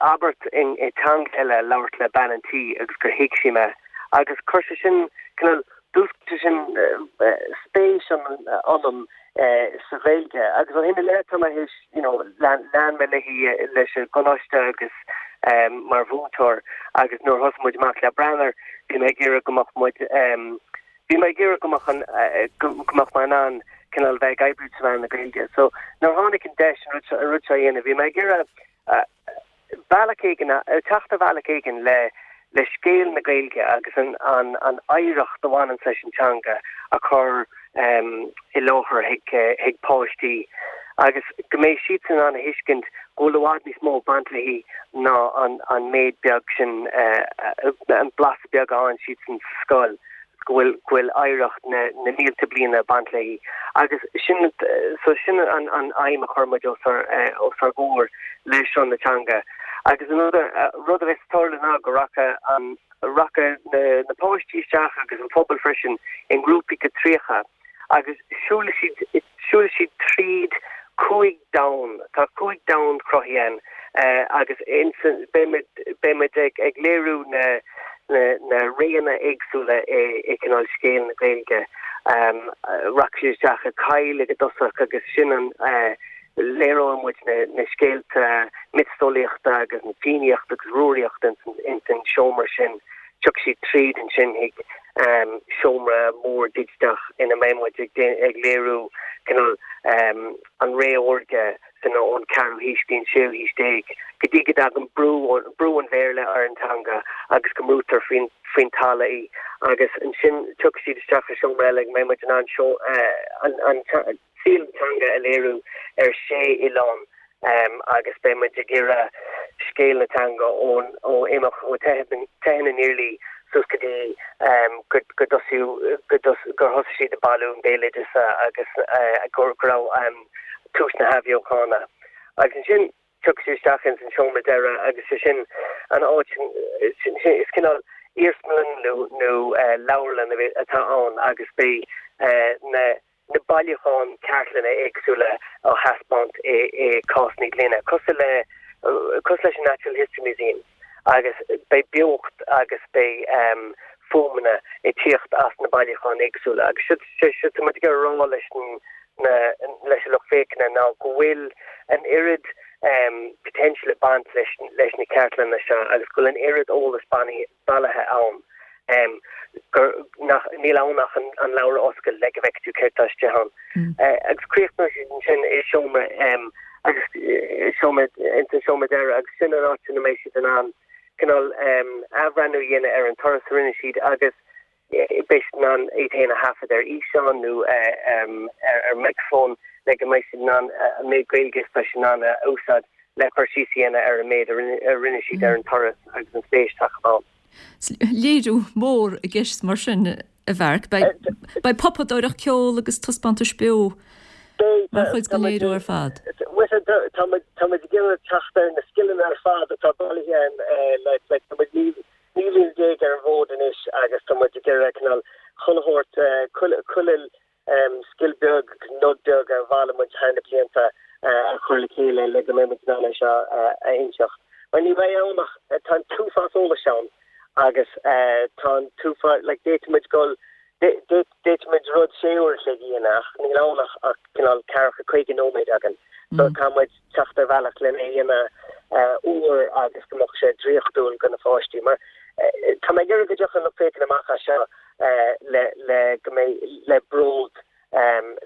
E: abairt i teanga eile labhairt le bean an tí agus gur thuig sí mé agus chuir sé sin cineál d'fhúscail sé sin spéis ionam sa Ghaeilge agus ó shin i leith tá mé théis you know lean lean mé léi leis an gcoláiste agus mar mhúinteoir agus nuair a thosaigh muid amach le Branar bhí mé ag iarraidh go mbeadh muid bhí mé ag iarraidh go mbeadh an go mbeadh mé in ann cineál bheith ag oibriú trí mheán na Gaeilge. So nuair a tháinig an deis an rud seo an rud seo a dhéanamh bhí mé ag iarraidh bealach éigin teacht ar bhealach éigin le le scéal na Gaeilge agus an an an oidhreacht a bhaineann leis an teanga a chur i láthair chuig chuig páistí agus go mbeidh siadsan in ann a thuiscint go bhfuil i bhfad níos mó ag baint léi ná an an méid beag sin an blas beag a fhaigheann siadsan sa scoil go bhfuil go bhfuil oidhreacht na na mílte bliana ag baint léi agus sin so sin an an aidhm a chuir muid os ár os ár gcomhair le Sruth na Teanga agus an rud a rud a bheas ag tarlú ná go rachaidh an rachaidh na na páistí isteach agus an pobal freisin i ngrúpaí de tríocha agus siúlfaidh siad siúlfaidh siad tríd cúig domhan tá cúig domhan cruthaithe ann agus insan beidh beidh muid ag ag léiriú na na na réanna éagsúla i i cineál scéal na Gaeilge. Rachaidh siad isteach i coill ag an dtosach agus sin an léireoidh muid na na scéalta miotaseolaíochta agus na fiannaíochta agus rúraíochta ins ins an seomra sin. Tiocfaidh siad tríd ansin chuig seomra mór digiteach ina mbeidh muid ag ag léiriú cineál an ré órga san ón ceathrú haois go dtí an séú haois déag go dtí go dtagann brú brú an Bhéarla ar an teanga agus go mbrúitear faoin faoin talamh í agus ansin tiocfaidh siad isteach i seomra eile go mbeidh muid in ann seo an an saol na teanga a léiriú ar sé oileán agus beidh muid ag iarraidh scéal na teanga ón ó imeacht ó teitheadh na nIarlaí suas go dtí go go dtosaíodh go gur thosaigh siad ag bailiú an bhéaloideasa agus go raibh tús na hathbheochana. Agus ansin tiocfaidh siad isteach ins an seomra deireadh agus sé sin an áit sin is cineál iarsmalann nó nó leabharlann atá ann agus beidh na na bailiúcháin cartlainne éagsúla á thaispeáint i i cásanna gloine, cosúil le cosúil leis an Natural History Museum agus beidh beocht agus beidh fuaimeanna ag tíocht as na bailiúcháin éagsúla agus siod siod tá muid ag iarraidh a rá leis na leis an lucht féachana ná go bhfuil an oiread potential ag baint leis leis na cartlanna seo agus go bhfuil an oiread eolas bailithe ann gur nach níl ann ach an an leabhar a oscailt le go bhfeicfidh tú céard tá istigh ann. Agus críochnóidh siad ansin i seomra agus seomra ins an seomra deireadh agus sin an áit ina mbeidh siad in ann cineál athbhreithniú a dhéanamh ar an turas a rinne siad agus beidh siad in ann iad féin a thaifead ar fhíseán nó ar micreafón le go mbeidh siad in ann an méid Gaeilge is atá siad in ann a úsáid le cur síos a dhéanamh ar an méid a rinne siad ar an turas agus an spéis atá acu ann.
A: Léiriú mór i gceist mar sin, a Mharc. Beidh pupadóireacht, ceol agus taispeántais beo mar chuid den léiriú ar fad.
E: Tá muid ag iarraidh teacht ar na scileanna ar fad atá bailithe againn le tá muid naoi mbliana déag ar an bhfód anois agus tá muid ag iarraidh cineál chuile shórt, chuile scil beag, nod beag a bhailigh muid thar na blianta a chur le chéile le go mbeidh muid in ann é seo a inseacht. Mar ní bheidh ann ach tá an t-uafás eolais ann Agus tá an t-uafás, like d'fhéadfadh muid dul, d'fhéadfadh muid rud sé uair a chloig a dhéanamh ach níl ann ach ach cineál ceathracha caoga nóiméad againn. So tá muid teacht ar bhealach lena dhéanamh uair agus go mbeadh sé draíochtúil go na pháistí. Mar tá mé ag iarraidh go dtiocfaidh an lucht féachana amach as seo le le go mbeidh le bród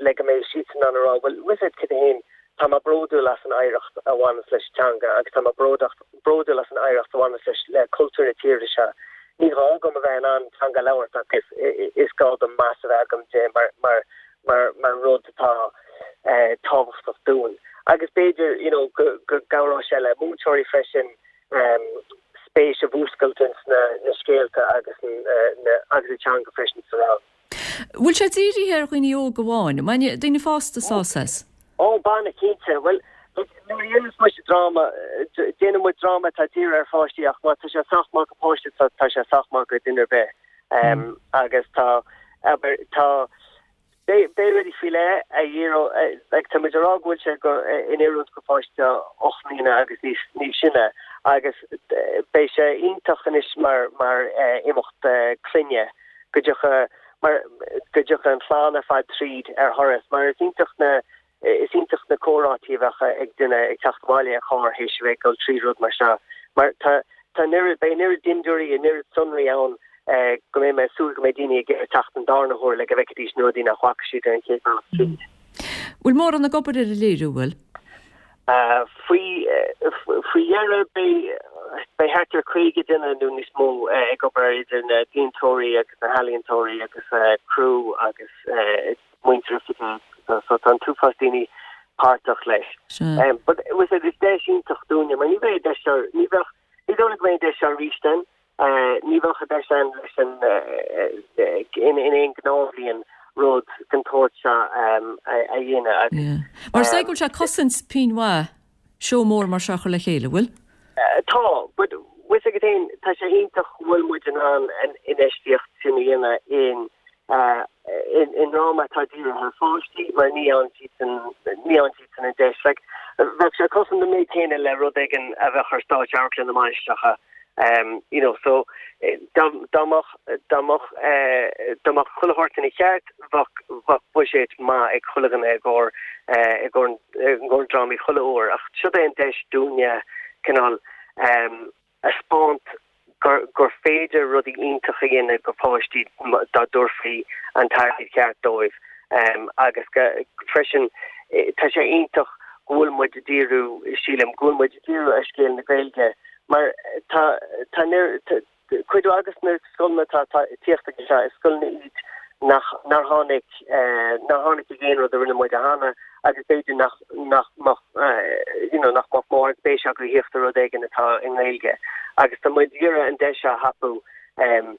E: le go mbeidh siadsan in ann a rá bhuel wizard cad é féin tá mé bródúil as an oidhreacht a bhaineas leis an teanga agus tá mé bródúil as an oidhreacht a bhaineas leis le cultúr na tíre seo. Ní gá dom a bheith in ann teanga a labhairt ach is is gá dom meas a bheith agam di mar mar mar mar rud atá tábhachtach dúinn. Agus b'fhéidir you know go go gcabhróidh sé le múinteoirí freisin spéis a mhúscailt ins na na scéalta agus na agus an teanga freisin sa rang.
A: Bhfuil sé dírithe ar dhaoine óga amháin, mbainfidh daoine fásta sásamh as?
E: Ó, bainfidh, cinnte. Bhuel, nuair a dhéanas muid dráma, déanann muid dráma atá dírithe ar pháistí ach má tá sé sách maith go páiste tá tá sé sách maith go duine ar bith. Agus tá, abair, tá, beidh beidh rudaí faoi leith a dhíreodh, like tá muid ag rá go bhfuil sé go in oiriúint go pháiste ocht mbliana agus níos níos sine agus beidh sé iontach anois mar mar imeacht clainne go dtiocfaidh mar go dtiocfaidh an chlann ar fad tríd ar thuras mar is iontach na is iontach na comhráití a bheadh ag duine ag teacht abhaile ar charr théis a bheith ag dul trí rud mar seo mar tá tá an oiread beidh an oiread dindiúirí an oiread sonraí ann go mbeidh mé ag súil go mbeidh daoine ag iarraidh teacht an darna huair le go bhfeicfidís na rudaí nach bhfaca siad ar an chéad bhealach tríd.
A: Bhfuil mórán ag obair ar an léiriú, bhfuil?
E: Faoi faoi dheireadh beidh beidh thart ar caoga duine nó níos mó ag obair idir na déantóirí agus na healaíontóirí agus criú agus muintir oifige so tá an t-uafás daoine páirteach leis. But was it is deis iontach dúinne mar ní bheidh deis seo ní bheadh ní dóigh liom go mbeidh deis seo arís ann ní bheadh an deis ann leis an in in aon ghnáthbhliain rud den tsórt seo a dhéanamh agus.
A: Mar is dóigh go bhfuil sé ag cosaint pingin mhaith seó mór mar seo a chur le chéile, bhfuil?
E: Tá, but bhfuil fhios agat féin, tá sé iontach go bhfuil muid in ann an infheistíocht sin a dhéanamh in i ndráma atá dírithe ar pháistí mar ní fhaigheann siadsan ní fhaigheann siadsan an deis. Like, bheadh sé cosaint an méid céanna le rud éigin a bheadh ar stáitse Amharclann na Mainistreacha um, you know, so dá dá mbeadh dá mbeadh dá mbeadh chuile shórt ina cheart bheadh bheadh buiséad maith ag chuile dhuine i gcomhair i gcomhair i gcomhair drámaí chuile uair ach seo é an deis dúinne cineál um, a 'speáint gur gur féidir rudaí iontacha a dhéanamh go páistí dá dtabharfaí an t-airgead ceart dóibh um, agus go, freisin tá sé iontach go bhfuil muid ag díriú sílim go bhfuil muid ag díriú ar scéal na Gaeilge mar tá tá cuid agus na scoileanna tá tíocht ag seo is scoileanna iad nach nár tháinig nár tháinig ag aon rud a rinne muid cheana agus b'fhéidir nach nach mbeadh you know nach mbeadh mórán spéis acu thíocht ar rud éigin atá i nGaeilge agus tá muid ag iarraidh an deis seo a thapú um,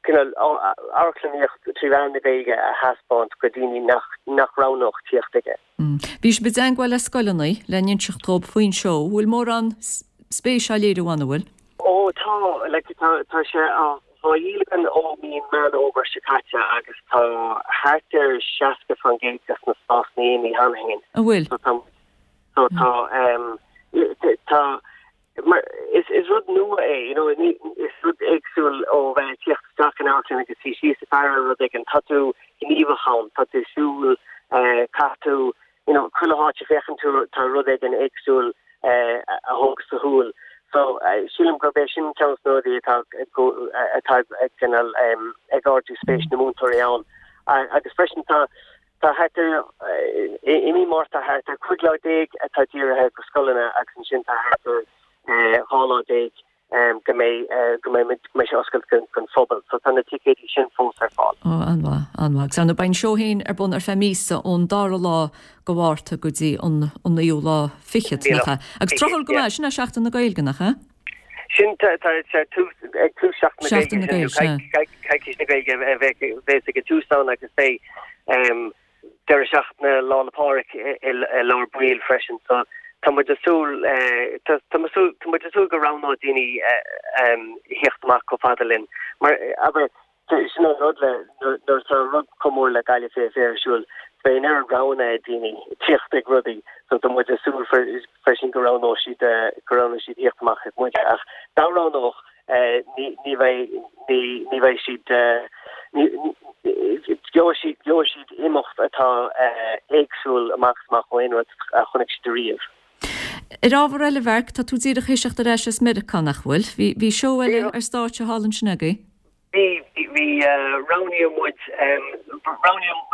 E: cineál amharclannaíocht trí mheán na Gaeilge a thaispeáint go daoine nach nach roghnódh tíocht aige.
A: Bhí sibh i dteagmháil le scoileanna le n-inseacht dóibh faoin seó, bhfuil mórán spéis á léiriú ann, an bhfuil?
E: Ó tá like, tá tá sé á á dhíol againn ó mí Meán Fómhair seo caite agus tá thart ar seasca faoin gcéad de na spásanna imithe cheana féin.
A: An bhfuil?
E: So tá so tá um, tá mar is is rud nua é you know ní is rud éagsúil ó bheith tíocht isteach in amharclann agus suí síos ag faire rud éigin tá tú gníomhach ann tá tú siúl uh, caithfidh tú you know chuile háit a féachann tú tá rud éigin éagsúil uh, a thóg do shúil so uh, sílim gurb é sin ceann de na rudaí atá atá ag cineál um, ag ardú spéis na múinteoirí ann uh, agus freisin tá tá thart ar i mí Márta thart ar cúig lá déag atá dírithe go scoileanna agus ansin tá thart ar dhá lá déag go mbeidh go mbeidh go mbeidh sé oscailte don don phobal, so tá na ticéidí sin fós ar fáil.
A: Ó an-mhaith, an-mhaith. Agus ar ndóigh beidh an seó féin ar bun ar feadh míosa ón dara lá go Mhárta go dtí an an naoú lá fichead, nach ea? Agus tráthúil go maith, sin é Seachtain na Gaeilge, nach ea?
E: Sin tá tá sé tús ag tús Seachtain na
A: Seachtain na
E: Gaeilge
A: Gaeilge, sea.
E: Coicís na Gaeilge a bheidh bheidh ag an tús ann agus beidh um, deireadh seachtaine Lá 'le Pádraig i i lár baill freisin so tá muid ag súil eh, tá tá muid súil tá muid ag súil go roghnóidh daoine eh, um, theacht amach chomh fada linn mar abair sin an rud le nuair nuair atá rud chomh mór le Gaillimh Féile Fair ar siúl beidh an oiread roghanna ag daoine tíocht ag rudaí so tá muid ag súil freisin go roghnóidh siad eh, go roghnóidh siad theacht amach ag muid ach dá roghnódh ní bheidh ní bheidh siad gheobhaidh siad gheobhaidh siad imeacht atá éagsúil amach is amach ó aon rud a chonaic siad ariamh.
A: Ar ábhar eile, Mharc, tá tú díreach théis theacht ar ais as Meiriceá, nach bhfuil? Bhí bhí seó eile ar stáitse thall ansin agaibh?
E: Bhí bhí roghnaíodh muid roghnaíodh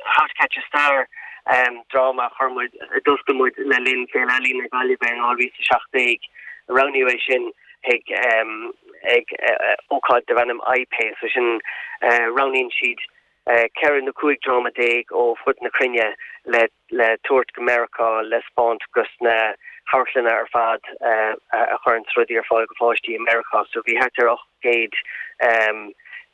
E: How to Catch a Star, dráma a chuir muid a d'oscail muid le linn Féile Ealaíon na Gaillimhe in dhá mhíle is a seacht déag. Roghnaíodh é sin ag ag ócáid darb ainm iPay, so sin roghnaíonn siad ceithre nó cúig dráma déag ó fud na cruinne le le tabhairt go Meiriceá le 'spáint dos na hamharclanna ar fad a chuireann rudaí ar fáil go pháistí i Meiriceá. So bhí thart ar ocht gcéad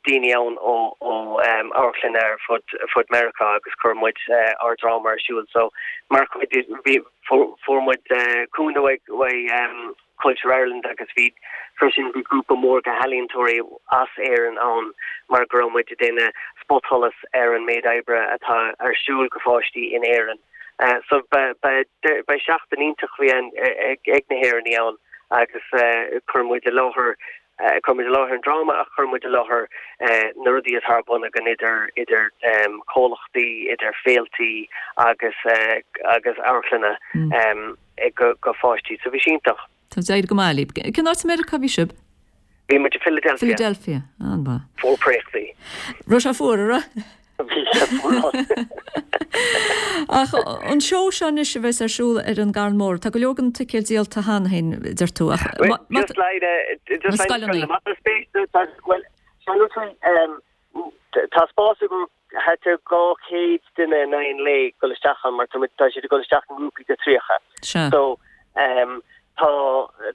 E: daoine ann ó ó amharclanna ar fud fud Meiriceá agus chuir muid ár dráma ar siúl. So mar chuid bhí fuair muid cúnamh uaidh Culture Ireland agus bhí freisin bhí grúpa mór de ealaíontóirí as Éirinn ann mar go raibh muid ag déanamh spotsholas ar an méid oibre atá ar siúl go pháistí in Éirinn. So ba ba ba seachtain iontach a bhí ann ag na hÉireannaigh ann agus chuir muid i láthair chuir muid i láthair an dráma ach chuir muid i láthair na rudaí atá ar bun againn idir idir comhlachtaí, idir féiltí agus agus amharclanna go go pháistí. So bhí sé iontach.
A: Tá d'éirigh go maith libh. Cén áit i Meiriceá a bhí sibh?
E: Bhí muid i Philadelphia.
A: Philadelphia, an-mhaith.
E: Fuar préachtaí.
A: Raibh sé fuar, an raibh?
E: Bhí sé fuar.
A: Ach an seó seo anois a bheas ar siúl ar an gCarn Mór, tá go leor den ticéad díolta cheana féin, deir tú, ach
E: Just like just like scoileanna. Má tá spéis, bhuel, tá spás agam thart ar dhá chéad duine in aghaidh an lae dul isteach ann mar tá tá siad ag dul isteach i ngrúpaí de tríocha.
A: Sea.
E: So um, tá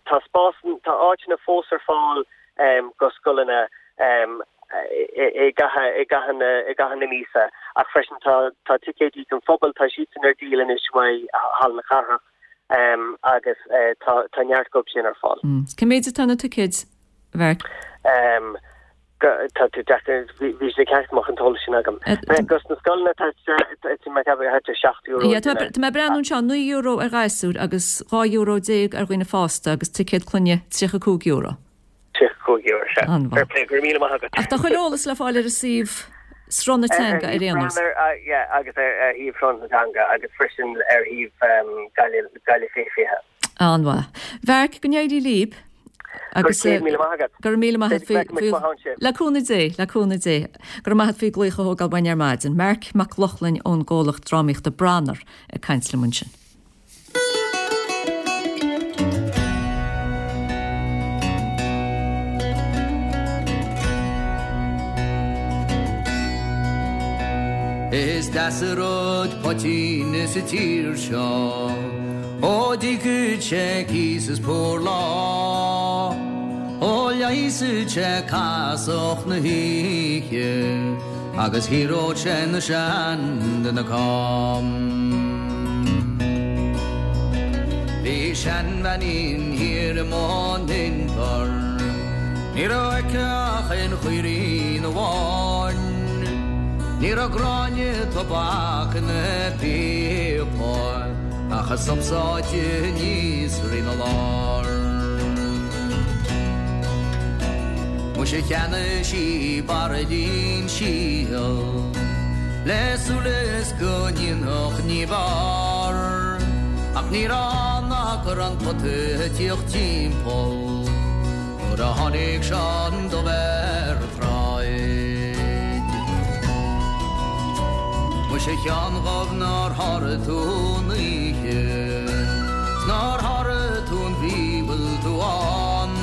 E: tá spás tá áiteanna fós ar fáil um, go scoileanna um, i i gcaitheamh i gcaitheamh na i gcaitheamh na míosa ach freisin tá tá ticéidí don phobal tá siadsan ar díol anois uaidh Halla na Cathrach um, agus uh, tá tá neart acu sin ar fáil.
A: Mm. Cé méid atá na ticéid, a Mharc?
E: Um, Tá tú deacair, bhí sé ceart amach an t-eolas sin agam. Dos na scoileanna tá mé ag ceapadh thart ar seacht euro.
A: Tá mé ag breathnú anseo, naoi euro ar ghasúir agus dhá euro déag ar dhaoine fásta agus ticéad clainne tríocha cúig euro.
E: Tríocha cúig euro, sea.
A: An-mhaith.
E: Fair play, go raibh míle maith agat.
A: Ach tá chuile eolas le fáil ar an suíomh Sruth na Teanga ar aon nós.
E: Yeah, agus ar shuíomh Sruth na Teanga agus freisin ar shuíomh Gaillimh Fiche Fiche.
A: An-mhaith. Mharc, go n-éirí libh. Agus
E: Go raibh míle maith agat.
A: Go raibh míle maith agat faoi Le cúnamh Dé, le cúnamh Dé. Go raibh maith agat faoi glaoch a thógáil uainn ar maidin. Marc Mac Lochlainn ón gcomhlacht drámaíochta Branar ag caint liom ansin.
F: Is deas an rud poitín sa tír seo Ó d'íocfadh sé cíos is purláir Ó leigheasfadh sé casacht na hoíche Agus shaoródh sé na seanduine cam. Bhí seanbheainín thiar i mBun Inbhir Ní raibh aici ach aon chaoirín amháin Ní raibh gráinne tobac ina píopa Ach a sop sáite aníos rína lár. Muise cheannaigh sí bairillín síl Le súil is go ndéanfadh ní b'fhearr Ach ní raibh ann ach go raibh an pota ag tíocht timpeall Nuair a tháinig Seán Dubh ar an tsráid. Muise a Sheáin Dhuibh nár sháraigh tú an oíche 's nár sháraigh tú an mhí bhfuil tú ann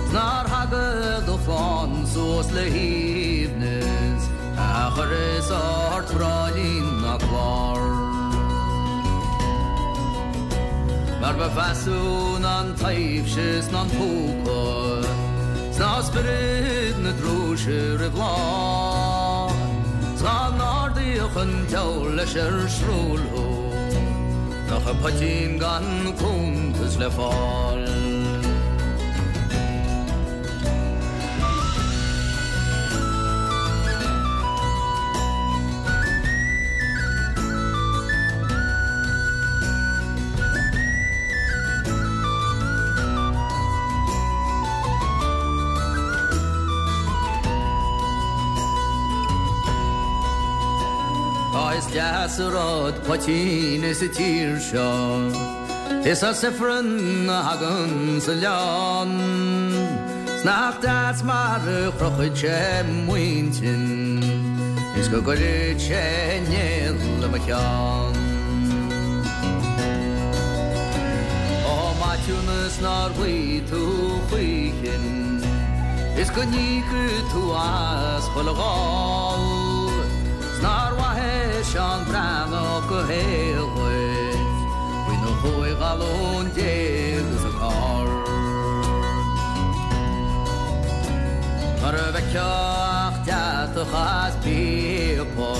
F: 's nár thaga do chlann suas le haoibhneas a chuireas ort bráillín ná clár. Mar ba mheasa ná an taibhse 's ná an púca 's ná spiorad na drúise roimh lá 's dhá n-ardaíodh an diabhal leis ar srúill thú nach raibh poitín gan cuntas le fáil. deas an rud poitín sa tír seo Is as ifreann a thagann sa oileán 'S nach deas mar a chrochfaidh sé m'intinn Is go gcuirfidh sé néal i mo cheann Ó maithiúnas nár ghlaoigh tú choíchin Is go n-íocfaidh tú as chuile gháil 'S nár mhaith é Seán Breathnach a shaol dhuit Faoina chúig ghalún déag is a carr Mar a bhfeicfeá ach deatach as píopa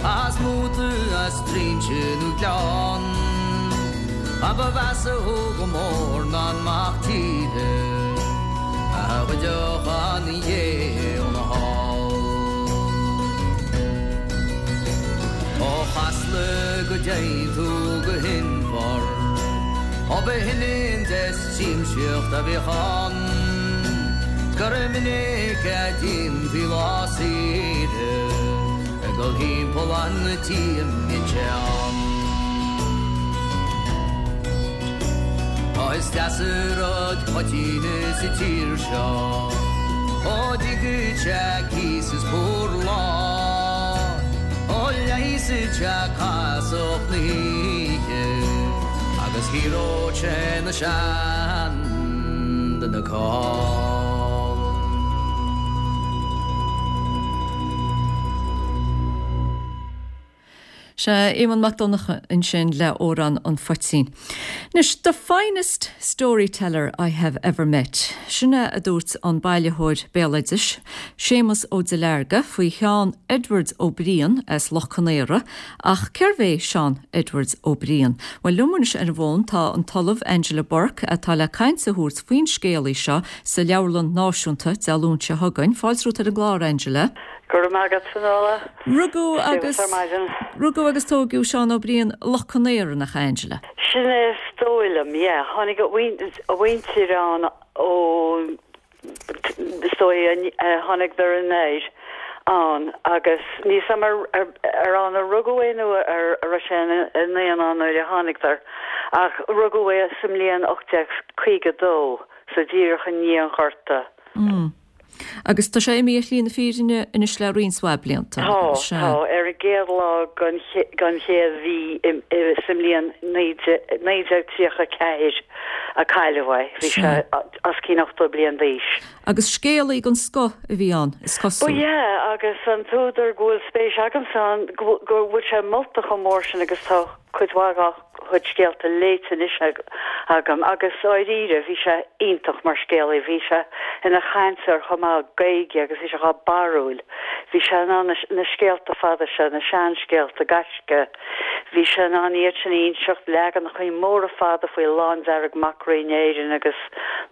F: As móta as trinse nó gleann A ba mheasa thú go mór ná an mac tíre A ghoidfeadh an ghé óna hál Ó Chasla go dtéann tú go hInbhear Ó b'shin an deis siamsaíocht a bhíodh ann 'S gur minic a d'imtí lá saoire Ag dul thimpeall an tí a mbíodh sé ann Ó is deas an rud poitín sa tír seo Ó dtiocfaidh sé cíos is purlá Ó leigheasfaidh sé casacht na hoíche Agus ciorróidh sé na seanduine call.
A: Sea, Éamonn Mac Donncha ansin le Amhrán an Phoitín. Anois, the finest storyteller I have ever met. Sin é a dúirt an bailitheoir béaloidis, Séamus Ó Duilearga faoi Sheán Edwards Ó Briain as Loch Conaora, ach cérbh é Seán Edwards Ó Briain? Well liom anois ar an bhfón tá an tOllamh Angela Bourke atá le caint a thabhairt faoin scéalaí seo sa Leabharlann Náisiúnta Dé Luain seo chugainn. Fáilte romhat ar an gclár Angela.
G: Go raibh maith agat Fionnuala.
A: Rugadh agus rugadh agus tógadh Seán Ó Briain Loch Conaora nach ea Angela.
G: Sin é is dóigh liom, yeah. Tháinig a mhuintir ann ó is dóigh tháinigeadar anoir ann agus níl 's a'm ar ar ann a rugadh é nó ar a raibh sé ina naíonán nuair a tháinigeadar ach rugadh é sa mbliain ocht déag caoga dó so díreach i ndiaidh an Ghorta.
A: Mm. Agus tá sé imithe ar shlí na fírinne anois le roinnt mhaith blianta.
G: Tá, tá, ar an gcéad lá den chéad mhí sa mbliain naoi déag tríocha ceathair a cailleadh é. Bhí sé os cionn ochtó bliain d'aois.
A: Agus scéalaí den scoth a bhí ann, is cosúil.
G: Ba ea, agus an t-údar go bhfuil spéis agamsa ann, go bhfuil sé molta chomh mór sin agus tá cuid mhaith dá chuid scéalta léite anois agam agus dáiríre bhí sé iontach mar scéalaí. Bhí sé ina chainteoir chomh maith Gaeilge agus bhí sé chomh barrúil. Bhí sé in ann na scéalta fada seo, na seanscéalta gaisce, bhí sé in ann iad sin a inseacht, leaganachaí móra fada faoi Lándearg mac Rí in Éirinn agus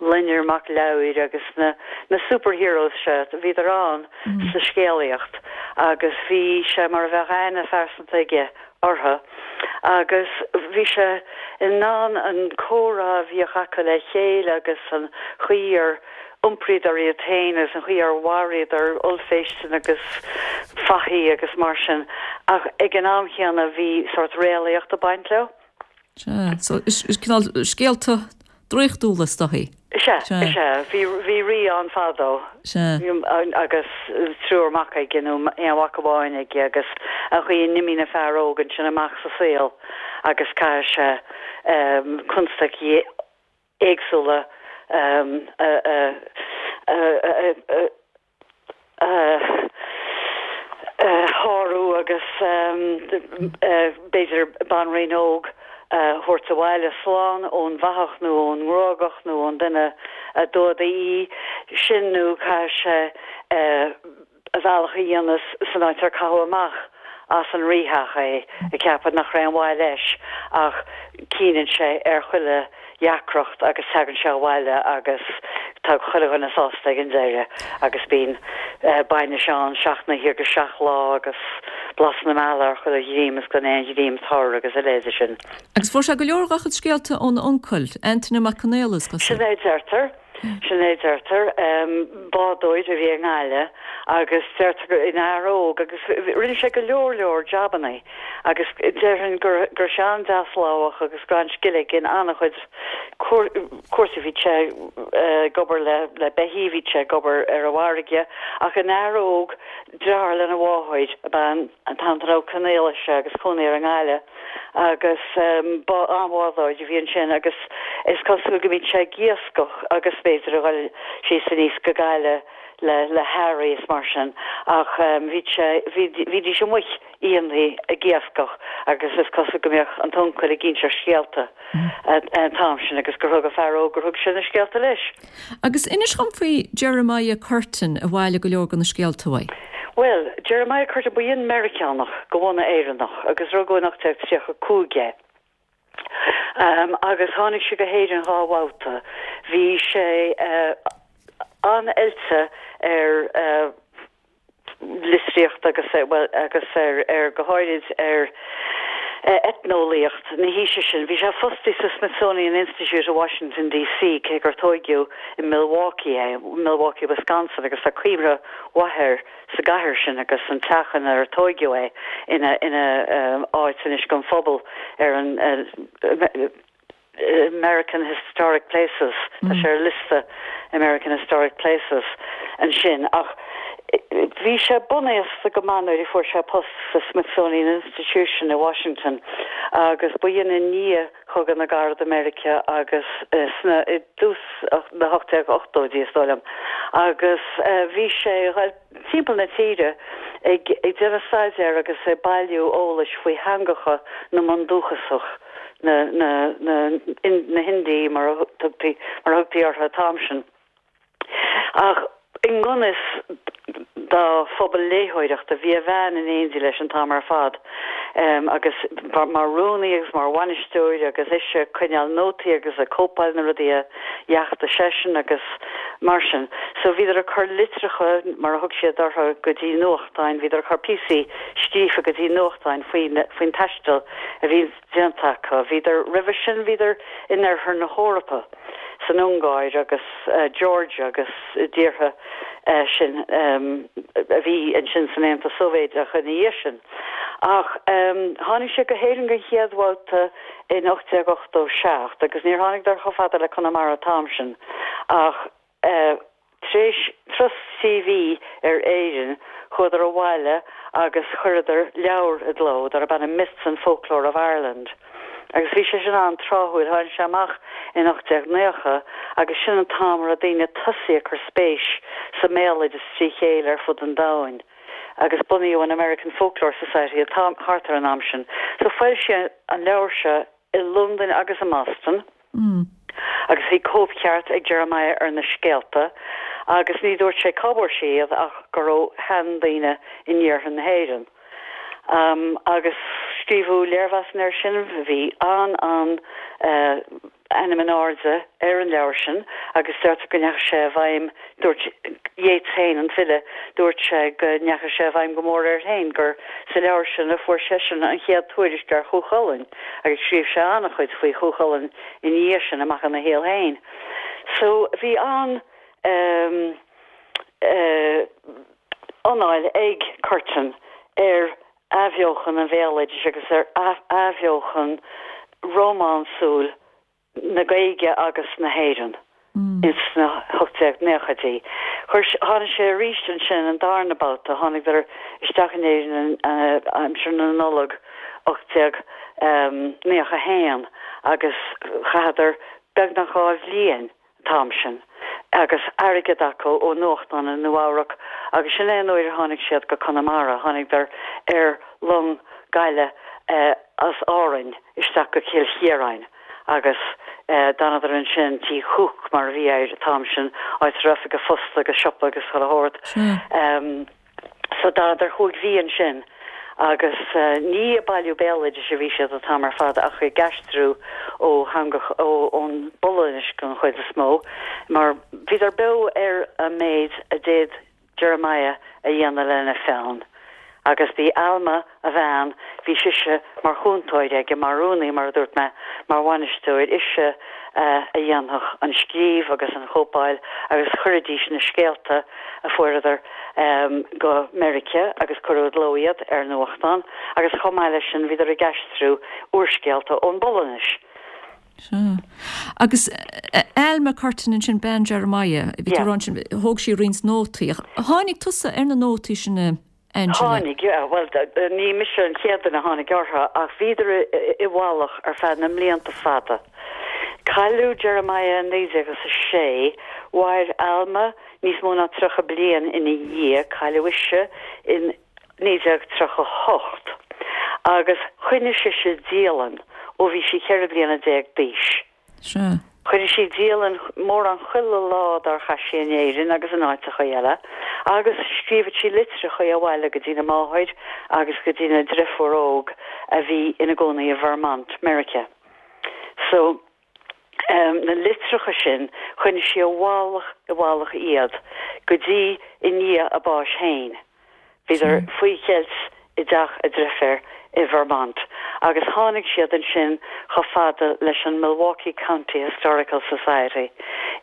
G: Loinnir mac Lemhair agus na na superheroes seo, bhíodar ann sa scéalaíocht agus bhí sé mar a bheadh aithne phearsanta aige orthu agus bhí sé in ann an comhrá a bhíodh acu le chéile agus an chaoi ar iompraíodar iad féin agus an chaoi ar mharaíodar ollphéisteanna agus fathaigh agus mar sin ach ag an am chéanna bhí sórt réalaíocht ag baint leo.
A: Sea, so is cineál scéalta draíochtúla is dóichí.
G: Sea, sea, bhí bhí rí ann fadó.
A: Sea.
G: Agus triúr mac aige nó aon mhac amháin aige agus an chaoi a n-imíonn an fear óg ansin amach sa saol agus caithfidh sé constaicí éagsúla a a a a a shárú agus b'fhéidir banríon óg a thabhairt abhaile slán ón bhfathach nó ón ngruagach nó ón duine a d'fhuadaigh í, sin nó caithfidh sé a bhealach a dhéanamh san áit ar caitheadh amach as an rítheach é, ag ceapadh nach raibh aon mhaith leis ach cinneann sé ar chuile dheacracht agus tagann sé abhaile agus tá chuile dhuine sásta ag an deireadh agus bíonn bainis ann seacht n-oíche agus seacht lá agus blas na meala ar chuile dhream is gan aon ghreim tur agus a leithéid sin.
A: Agus fuair sé go leor dá chuid scéalta óna uncail, Antaine Mac Conaola, is cosúil.
G: Sin é a deirtear. Sin é deirtear, bádóir a bhí i nGaillimh agus deirtear gur ina fhear óg agus rinne sé go leor leor jabannaí agus déarfainn go raibh sé an-deaslámhach agus go raibh an-scil aige in an-chuid cúrsaí. Bhí sé ag obair le le beithígh, bhí sé ag obair ar an bhfarraige ach ina fhear óg deartháir lena mháthair ab ea an tAntaine Ó Conaola agus cónaí air i nGaillimh agus ba an-bhádóir a bhí ansin agus is cosúil go mbíodh sé ag iascach agus b'fhéidir a dhul síos aníos go Gaillimh le le hearraí is mar sin ach bhí sé bhídís amuigh oícheantaí ag iascach agus is cosúil go mbeadh an t-uncail ag inseacht scéalta an t-am sin agus gur thug an fear óg gur thug sé na scéalta leis.
A: Agus inis dhom faoi Jeremiah Curtin a bhailigh go leor de na scéalta uaidh.
G: Bhuel, Jeremiah Curtin, ba Meiriceánach de bhunadh Éireannach agus rugadh in ocht déag tríocha cúig é. Um, agus tháinig sé go hÉirinn dhá bhabhta. Bhí sé uh, an-oilte ar uh, litríocht agus uh, well, agus ar, ar go háirid ar eitneolaíocht na haoise sin. Bhí sé fostaí sa Smithsonian Institute i Washington DC cé gur tógadh i Milwaukee é, Milwaukee, Wisconsin agus tá cuimhne mhaith air sa gcathair sin agus an teach inar tógadh é ina ina um, áit anois don phobal ar an uh, American Historic Places mm. Tá sé ar liosta American Historic Places ansin ach bhí sé bunaosta go maith nuair a fuair sé post sa Smithsonian Institution i Washington agus ba in i ndiaidh Chogadh na gCarad i Meiriceá agus uh, sna i dtús na hocht déag ochtóidí is dóigh liom agus uh, bhí sé timpeall na tíre ag ag déanamh staidéir agus ag bailiú eolais faoi theangacha na mbundúchasach na na na in, na hIndiaigh mar a thugtaí mar a thugtaí orthu an t-am sin. Ach i ngan fhios dá phobal léitheoireachta bhí a bhean in éindí leis an t-am ar fad um, agus mar rúnaí agus mar bhainisteoir agus ise ag coinneáil nótaí agus ag cóipeáil na rudaí a dheachtaigh seisean agus mar sin. So bhíodar ag cur litreacha mar a thug siad orthu go dtí nuachtáin, bhíodar ag cur píosaí scríofa go dtí nuachtáin faoin faoin taisteal a bhí déanta acu. Bhíodar roimhe sin bhíodar in oirthear na hEorpa. san Ungáir agus uh, Georgia agus tíortha uh, sin um, a bhí ansin san Aontas Sóivéadach ina dhiaidh sin. Ach um, tháinig sé go hÉirinn den chéad bhabhta in ocht déag ochtó seacht, agus níor tháinigeadar chomh fada le Conamara an t-am sin. Ach uh, tar éis turas trí mhí ar Éirinn chuadar abhaile agus chuireadar leabhar i gcló darb ainm Myths and Folklore of Ireland. Agus bhí sé sin an-tráthúil tháinig sé amach in ocht déag nócha agus sin an t-am a raibh daoine tosaithe ag cur spéis sa mbéaloideas trí chéile ar fud an domhain. Agus bunaíodh an American Folklore Society thart ar an am sin. So foilsíodh an leabhar seo i Londain agus i mBoston.
A: Mm.
G: Agus bhí cóipcheart ag Jeremiah ar na scéalta, agus ní dúirt sé cá bhfuair sé iad ach gur ó sheandaoine in iarthar na hÉireann. Um, agus scríobhadh léirmheas air sin bhí an an uh, ainm in airde ar an leabhar sin agus deirtear go ndeachaigh sé i bhfeidhm dúirt Yeats féin an file dúirt sé go ndeachaigh sé i bhfeidhm go mór air féin gur sa leabhar sin a fuair seisean an chéad tuairisc ar Chú Chulainn agus scríobh sé an-chuid faoi Chú Chulainn ina dhiaidh sin amach ina shaol féin. So bhí an um, uh, anáil ag Curtin ar athbheochan an bhéaloidis agus ar athbheochan rómánsúil na Gaeilge agus na hÉireann. Mm. Ins na hocht déag nóchaidí. Tháinig sé arís ansin an darna babhta tháinigeadar isteach in Éirinn aimsir na Nollag ocht déag nócha a haon agus chaitheadar beagnach dhá bhliain t-am sin. agus airgead acu ó nuachtán i Nua-Eabhrac agus sin é an uair a tháinig siad go Conamara tháinigeadar ar long gaile eh, as Árainn isteach go Cill Chiaráin agus eh, d'fhanadar ansin Tí Cooke mar a bhí air an t-am sin áit a raibh oifig an phoist agus siopa agus chuile shórt. Um, so d'fhanadar cúig mhí ansin agus uh, ní ag bailiú béaloidis a bhí siad an t-am ar fad ach ag aistriú ó theanga ón bPolainnis den chuid is mó, mar bhíodar beo ar an méid a d'fhéad Jeremiah a dhéanamh lena pheann. Agus bhí Alma, a bhean, bhí sise mar chúntóir aige, mar rúnaí, mar a dúirt mé, mar bhainisteoir, ise a dhéanfadh an scríobh agus an chóipeáil agus chuiridís na scéalta a fuaireadar go Meiriceá agus cuireadh i gcló iad ar nuachtán agus chomh maith leis sin bhíodar ag aistriú úrscéalta ón bPolainnis.
A: Sea. Agus Alma Curtin ansin, bean Jeremiah, bhí tú ag rá ansin, thóg sí roinnt nótaí. Tháinig tusa ar na nótaí sin a Angela?
G: Tháinig, yeah. Bhuel, ní mise an chéad duine a tháinig orthu ach bhíodar i bhfolach ar feadh na mblianta fada. Cailleadh Jeremiah i naoi déag is a sé, mhair Alma níos mó ná tríocha bliain ina dhiaidh, cailleadh ise in naoi déag tríocha a hocht, agus choinnigh sise dialann ó bhí sí ceithre bliana déag d'aois.
A: Sea.
G: Choinnigh sí dialann mórán chuile lá dár chaith sí in Éirinn agus in áiteacha eile, agus scríobhadh sí litreacha abhaile go dtína máthair agus go dtína driofúr óg a bhí ina gcónaí i Vermont, Meiriceá. So, na litreacha sin, choinnigh sí i bhfolach i bhfolach iad go dtí i ndiaidh a báis féin. Bhíodar faoi cheilt i dteach a driféar i Vermont agus tháinig siad ansin chomh fada leis an Milwaukee County Historical Society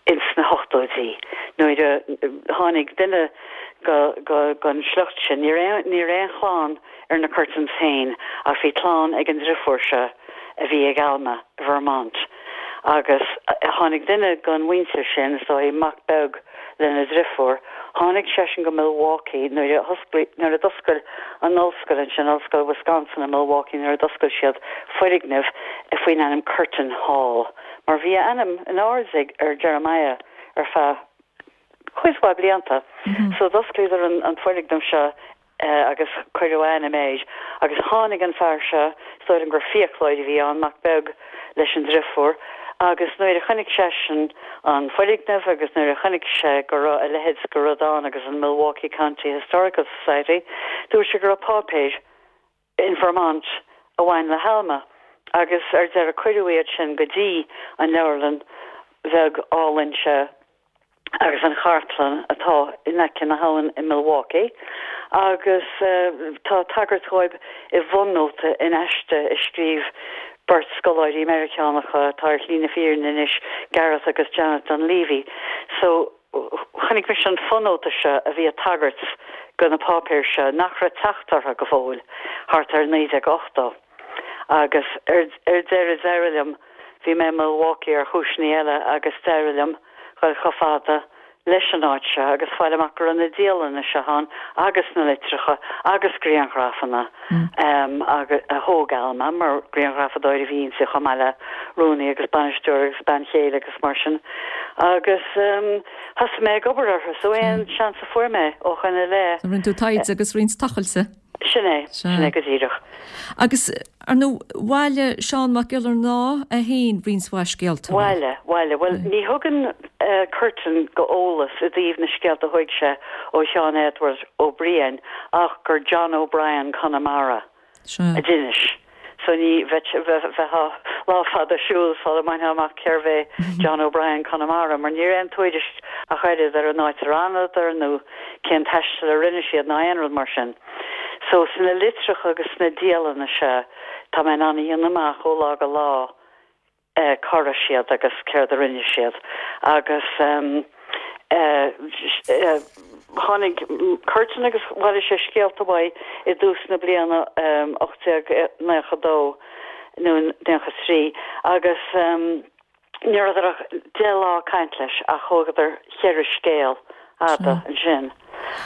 G: ins na hochtóidí nuair a tháinig duine go go gon sliocht sin. Ní raibh ní raibh aon chlann ar na Curtins féin ach bhí clann ag an driofúr seo a bhí ag Alma i Vermont agus tháinig duine gon mhuintir sin, is dóigh, mac beag lena driofúr. Tháinig seisean go Milwaukee nuair a nuair a d'oscail an ollscoil ansin, Ollscoil Wisconsin i Milwaukee, nuair a d'oscail siad foirgneamh faoin ainm Curtin Hall, mar bhí a ainm in airde ar Jeremiah ar feadh cuid mhaith blianta. So d'osclaíodar an an foirgneamh seo agus cuireadh a ainm air. Agus tháinig an fear seo, is dóigh liom gur fiaclóir a bhí ann, mac beag leis an driofúr, agus nuair a chonaic seisean an foirgneamh agus nuair a chonaic sé go raibh a leithéid de rud ann agus an Milwaukee County Historical Society, dúirt sé go raibh páipéir in Vermont a bhain le hAlma agus ar deireadh cuireadh iad sin go dtí an leabharlann bheag álainn seo agus an chartlann atá in aice na habhann i Milwaukee agus tá tagairt dhóibh i bhfonóta in aiste a scríobh beirt scoláirí Meiriceánacha atá ar shlí na fírinne anois, Gareth agus Janet Dunleavy. So chonaic mise an fonóta seo a bhí ag tagairt go na páipéir seo nach raibh teacht orthu go fóill thart ar naoi déag ochtó. Agus ar deireadh d'éirigh liom, bhí mé i Milwaukee ar chúiseanna eile agus d'éirigh liom dhul chomh fada leis an áit seo agus fáil amach go raibh na dialanna seo ann agus na litreacha agus grianghrafanna a thóg Alma, mar grianghrafadóir a bhí inti chomh maith le rúnaí agus bainisteoir agus bean chéile agus mar sin. Agus thosaigh mé ag obair orthu, so aon seans a fuair mé ó shoin i leith.
A: Rinne tú taighde agus roinnt tochailte.
G: Sin é, sin é go díreach.
A: Agus, ar ndóigh, bhailigh Seán Mac Giollarnáth é féin roinnt mhaith scéalta.
G: Bhailigh, bhailigh. Bhuel, ní thugann Curtin go eolas i dtaobh na scéalta a thóig sé ó Sheán Edward Ó Briain ach gur John O'Brien Conamara a d'inis. So ní bheifeá lá fada siúl sula mbainfeá amach cérbh é John O'Brien Conamara, mar ní raibh aon tuairisc ach oiread ar an áit ar fhanadar nó cén taisteal a rinne siad ná aon rud mar sin. So sna litreacha agus sna dialanna seo tá mé in ann a dhéanamh amach ó lá go lá cá raibh siad agus céard a rinne siad. Agus tháinig Curtin agus bhailigh sé scéalta uaidh i dtús na bliana ocht déag naocha dó nó naocha trí agus ní rabhadar ach deich lá ag caint leis ach thógadar cheithre scéal fhada ansin.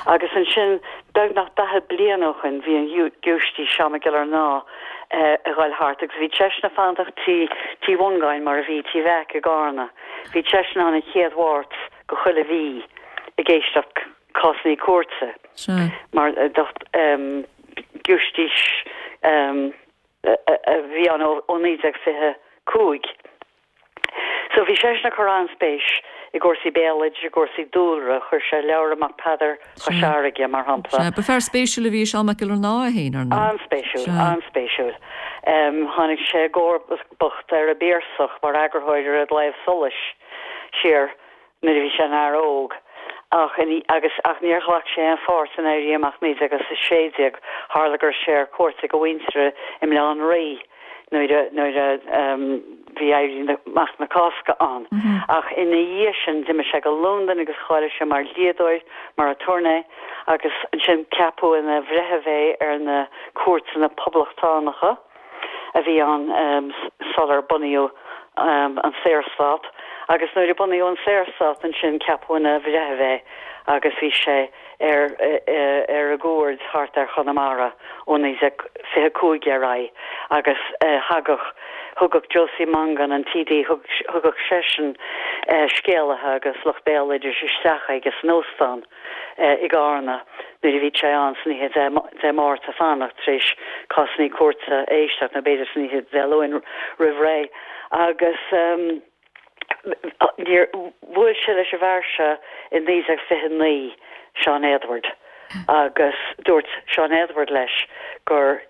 G: Agus ansin, beagnach daichead bliain ó shoin, bhí an Giúistís Seán Mac Giollarnáth ag dhul thart agus bhí seisean ag fanacht Tí Tí Mhongáin mar a bhí, Tí Mheaic i gCarna. Bhí seisean ann an chéad Mháirt go chuile mhí ag éisteacht cásannaí cúirte mar giúistís a bhí ann ó naoi déag fiche cúig. So bhí seisean ag cur an-spéis i gcúrsaí béaloidis, i gcúrsaí dúlra, chuir sé leabhar amach Peadar Chois Fharraige, mar shampla.
A: Sea, ba fear spéisiúil a bhí i Seán Mac Giollarnáth é féin, ar ndóigh.
G: An-spéisiúil, an-spéisiúil. Tháinig sé i gcomharbacht ar an bPiarsach mar eagarthóir ar an gClaidheamh Soluis siar nuair a bhí sé ina fhear óg Ach agus ach níor ghlac sé aon pháirt in Éirí Amach naoi déag a sé déag, tharla go raibh sé ar cuairt ag a mhuintir i mBaile Átha an Rí nuair a nuair a bhí Éirí Amach na Cásca ann. Ach ina dhiaidh sin d'imigh sé go Londain agus cháiligh sé mar dhlíodóir, mar aturnae agus ansin ceapadh ina bhreitheamh é ar na cúirteanna poblachtánacha a bhí ann sular bunaíodh an Saorstát agus nuair a bunaíodh an Saorstát ansin ceapadh ina bhreitheamh é agus bhí sé ar ar an gcuaird thart ar Chonamara ó naoi déag fiche cúig ar aghaidh agus thagadh thugadh Josie Mongan an TD thugadh seisean scéalaithe agus lucht béaloidis isteach aige san óstán. i gCarna nuair a bhí sé ann san oíche Dé Máirt ag fanacht tar éis cásanna cúirte a éisteacht nó b'fhéidir san oíche Dé Luain roimh ré agus níor bhuail sé leis an bhfear seo i naoi déag fiche naoi, Seán Éadbhard, agus dúirt Seán Éadbhard leis gur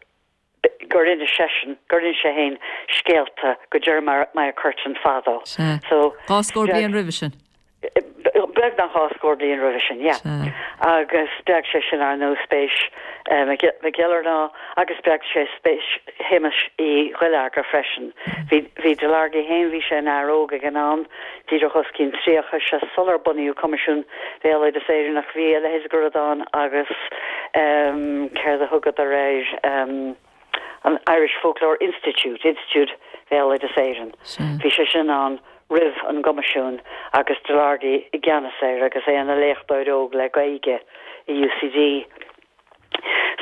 G: gur inis seisean, gur inis sé féin scéalta go Jeremiah Curtin fadó.
A: So, Dhá scór bliain roimhe sin.
G: Beagnach dhá scór bliain roimhe sin, yeah. Agus spreag sé sin ar ndóigh spéis Mac Giollarnáth agus spreag sé spéis Shéamais Uí Dhuilearga freisin. Bhí bhí Delargy féin, bhí sé ina fhear óg ag an am, díreach os cionn tríocha, sé sular bunaíodh Coimisiún Bhéaloideas Éireann ach bhí a leithéid de rud ann agus céard a thugadar air, an Irish Folklore Institute, Institiúid Bhéaloideas Éireann. Bhí sé sin ann roimh an gCoimisiún agus Delargy i gceannas air agus é ina léachtóir óg le Gaeilge i UCD.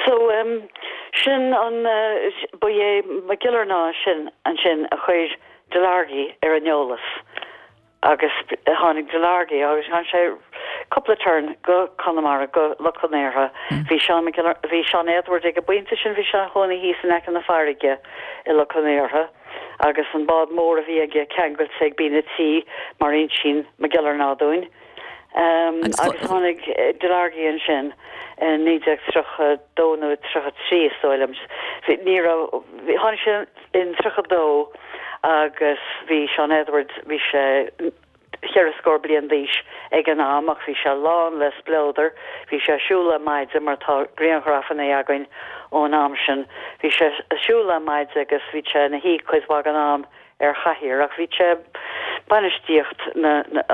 G: So um, sin an uh, ba é Mac Giollarnáth sin ansin a chuir Delargy ar an eolas agus tháinig Delargy agus tháinig sé cúpla turn go Conamara go Loch Con Aortha. Bhí Seán bhí Seán Éadbhard ag an bpointe sin bhí sé ina chónaí thíos in aice na farraige i Loch Con Aortha agus an bád mór a bhí aige ceangailte ag binn an tí mar insíonn Mac Giollarnáth dúinn. Um, agus tháinig Delargy ansin in naoi déag tríocha dó nó tríocha trí is dóigh liom. Ní raibh tháinig sé in tríocha dó agus bhí Seán Edward bhí sé cheithre scór bliain d'aois ag an am ach bhí sé lán le spleodar, bhí sé ag siúl le maide mar tá grianghrafanna againn ón am sin, bhí sé ag siúl le maide agus bhí sé ina shuí cuid mhaith den am ar chathaoir ach bhí sé bainistíocht na na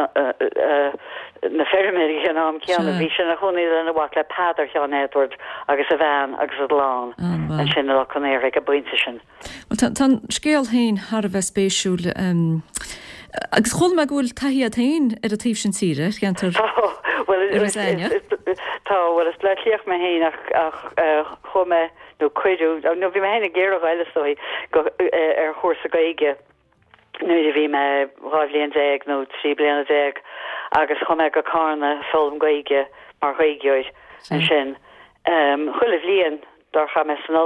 G: na feirmeoirí ag an am céanna, bhí sé ina chónaí lena mhac le Peadar Sheáin Edward agus a bhean agus a gclann ansin i Loch Con Aortha ag an bpointe sin.
A: Bhuel tá an scéal féin thar a bheith spéisiúil agus chuala mé go bhfuil taithí agat féin ar an taobh sin tíre, ar cheantar
G: Iorras Aithneach. Tá, bhuel is Bleá Cliathach mé féin ach ach chuaigh mé nó cuireadh, nó bhí mé féin ag iarraidh a ghoil is dóigh go ar chúrsa Gaeilge nuair a bhí mé dhá bhliain déag nó trí bliana déag agus chuaigh mé go Carna ag foghlaim Gaeilge mar Ghaeilgeoir ansin chuile bhliain dár chaith mé san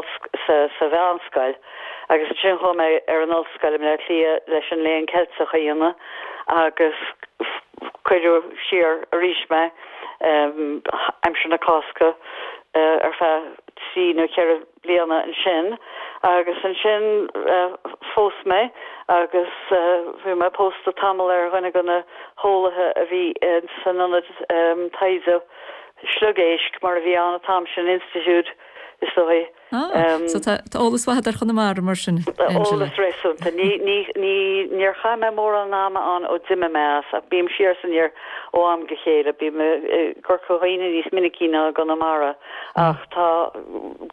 G: sa mheánscoil agus ansin chuaigh mé ar an ollscoil i mBleá Cliath leis an Léann Ceilteach a dhéanamh agus cuireadh siar arís mé aimsir na Cásca ar feadh trí nó ceithre bliana ansin agus ansin phós mé agus bhí mé pósta tamall ar dhuine de na heolaithe a bhí san ionad taighde sliogéisc mar a bhí ann an t-am sin, institiúid is dóigh.
A: Ah, so tá eolas mhaith agat ar Chonamara mar sin, Angela.
G: Eolas réasúnta. Ní, ní, ní, níor chaith mé mórán ama ann ó d'imigh mé as, ach bím siar is aniar ó am go chéile. Bím i gCorca Dhuibhne níos minicí ná i gConamara, ach tá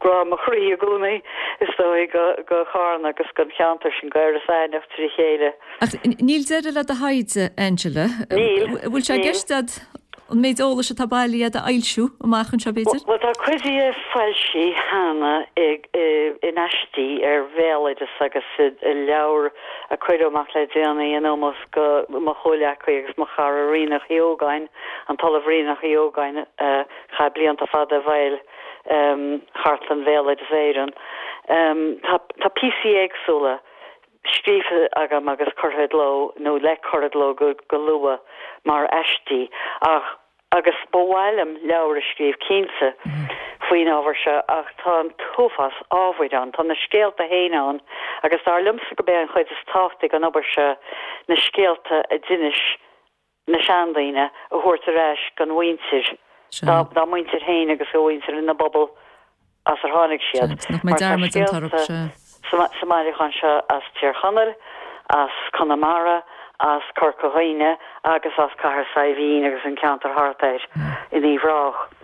G: grá mo chroí i gcónaí, is dóigh, go, go Carna agus don cheantar sin, go Iorras Aithneach trí chéile.
A: Ach níl deireadh le do thaighde, Angela.
G: Níl,
A: Bhfuil sé i
G: níl.
A: gceist agat An méid eolais atá bailithe agat a fhoilsiú amach anseo, b'fhéidir?
G: Bhuel, tá cuid dhe foilsithe cheana in aistí ar bhéaloideas agus i leabhar a cuireadh amach le déanaí in ómós go mo chomhleacaí agus mo chara Ríonach Uí Ógáin, an tOllamh Ríonach Uí Ógáin a chaith blianta fada i bhfeighil Chartlann Bhéaloideas Éireann. Tá píosaí éagsúla. scríofa agam agus curtha i gcló, nó le cur i gcló go luath, mar aistí, ach, agus ba mhaith liom leabhar a scríobh cinnte, faoin ábhar seo, ach tá an t-uafás ábhair ann, tá na scéalta féin ann, agus dar liomsa gurb é an chuid is tábhachtaí den obair seo na scéalta a d'inis na seandaoine a thabhairt ar ais don mhuintir, dá muintir féin agus do mhuintir na bpobal as ar tháinig siad. Mar tá scéalta sa mbailiúchán seo as Tír Chonaill, as Conamara, as Corca Dhuibhne agus as Cathair Saidhbhín agus an ceantar thart air in Uíbh Ráthach.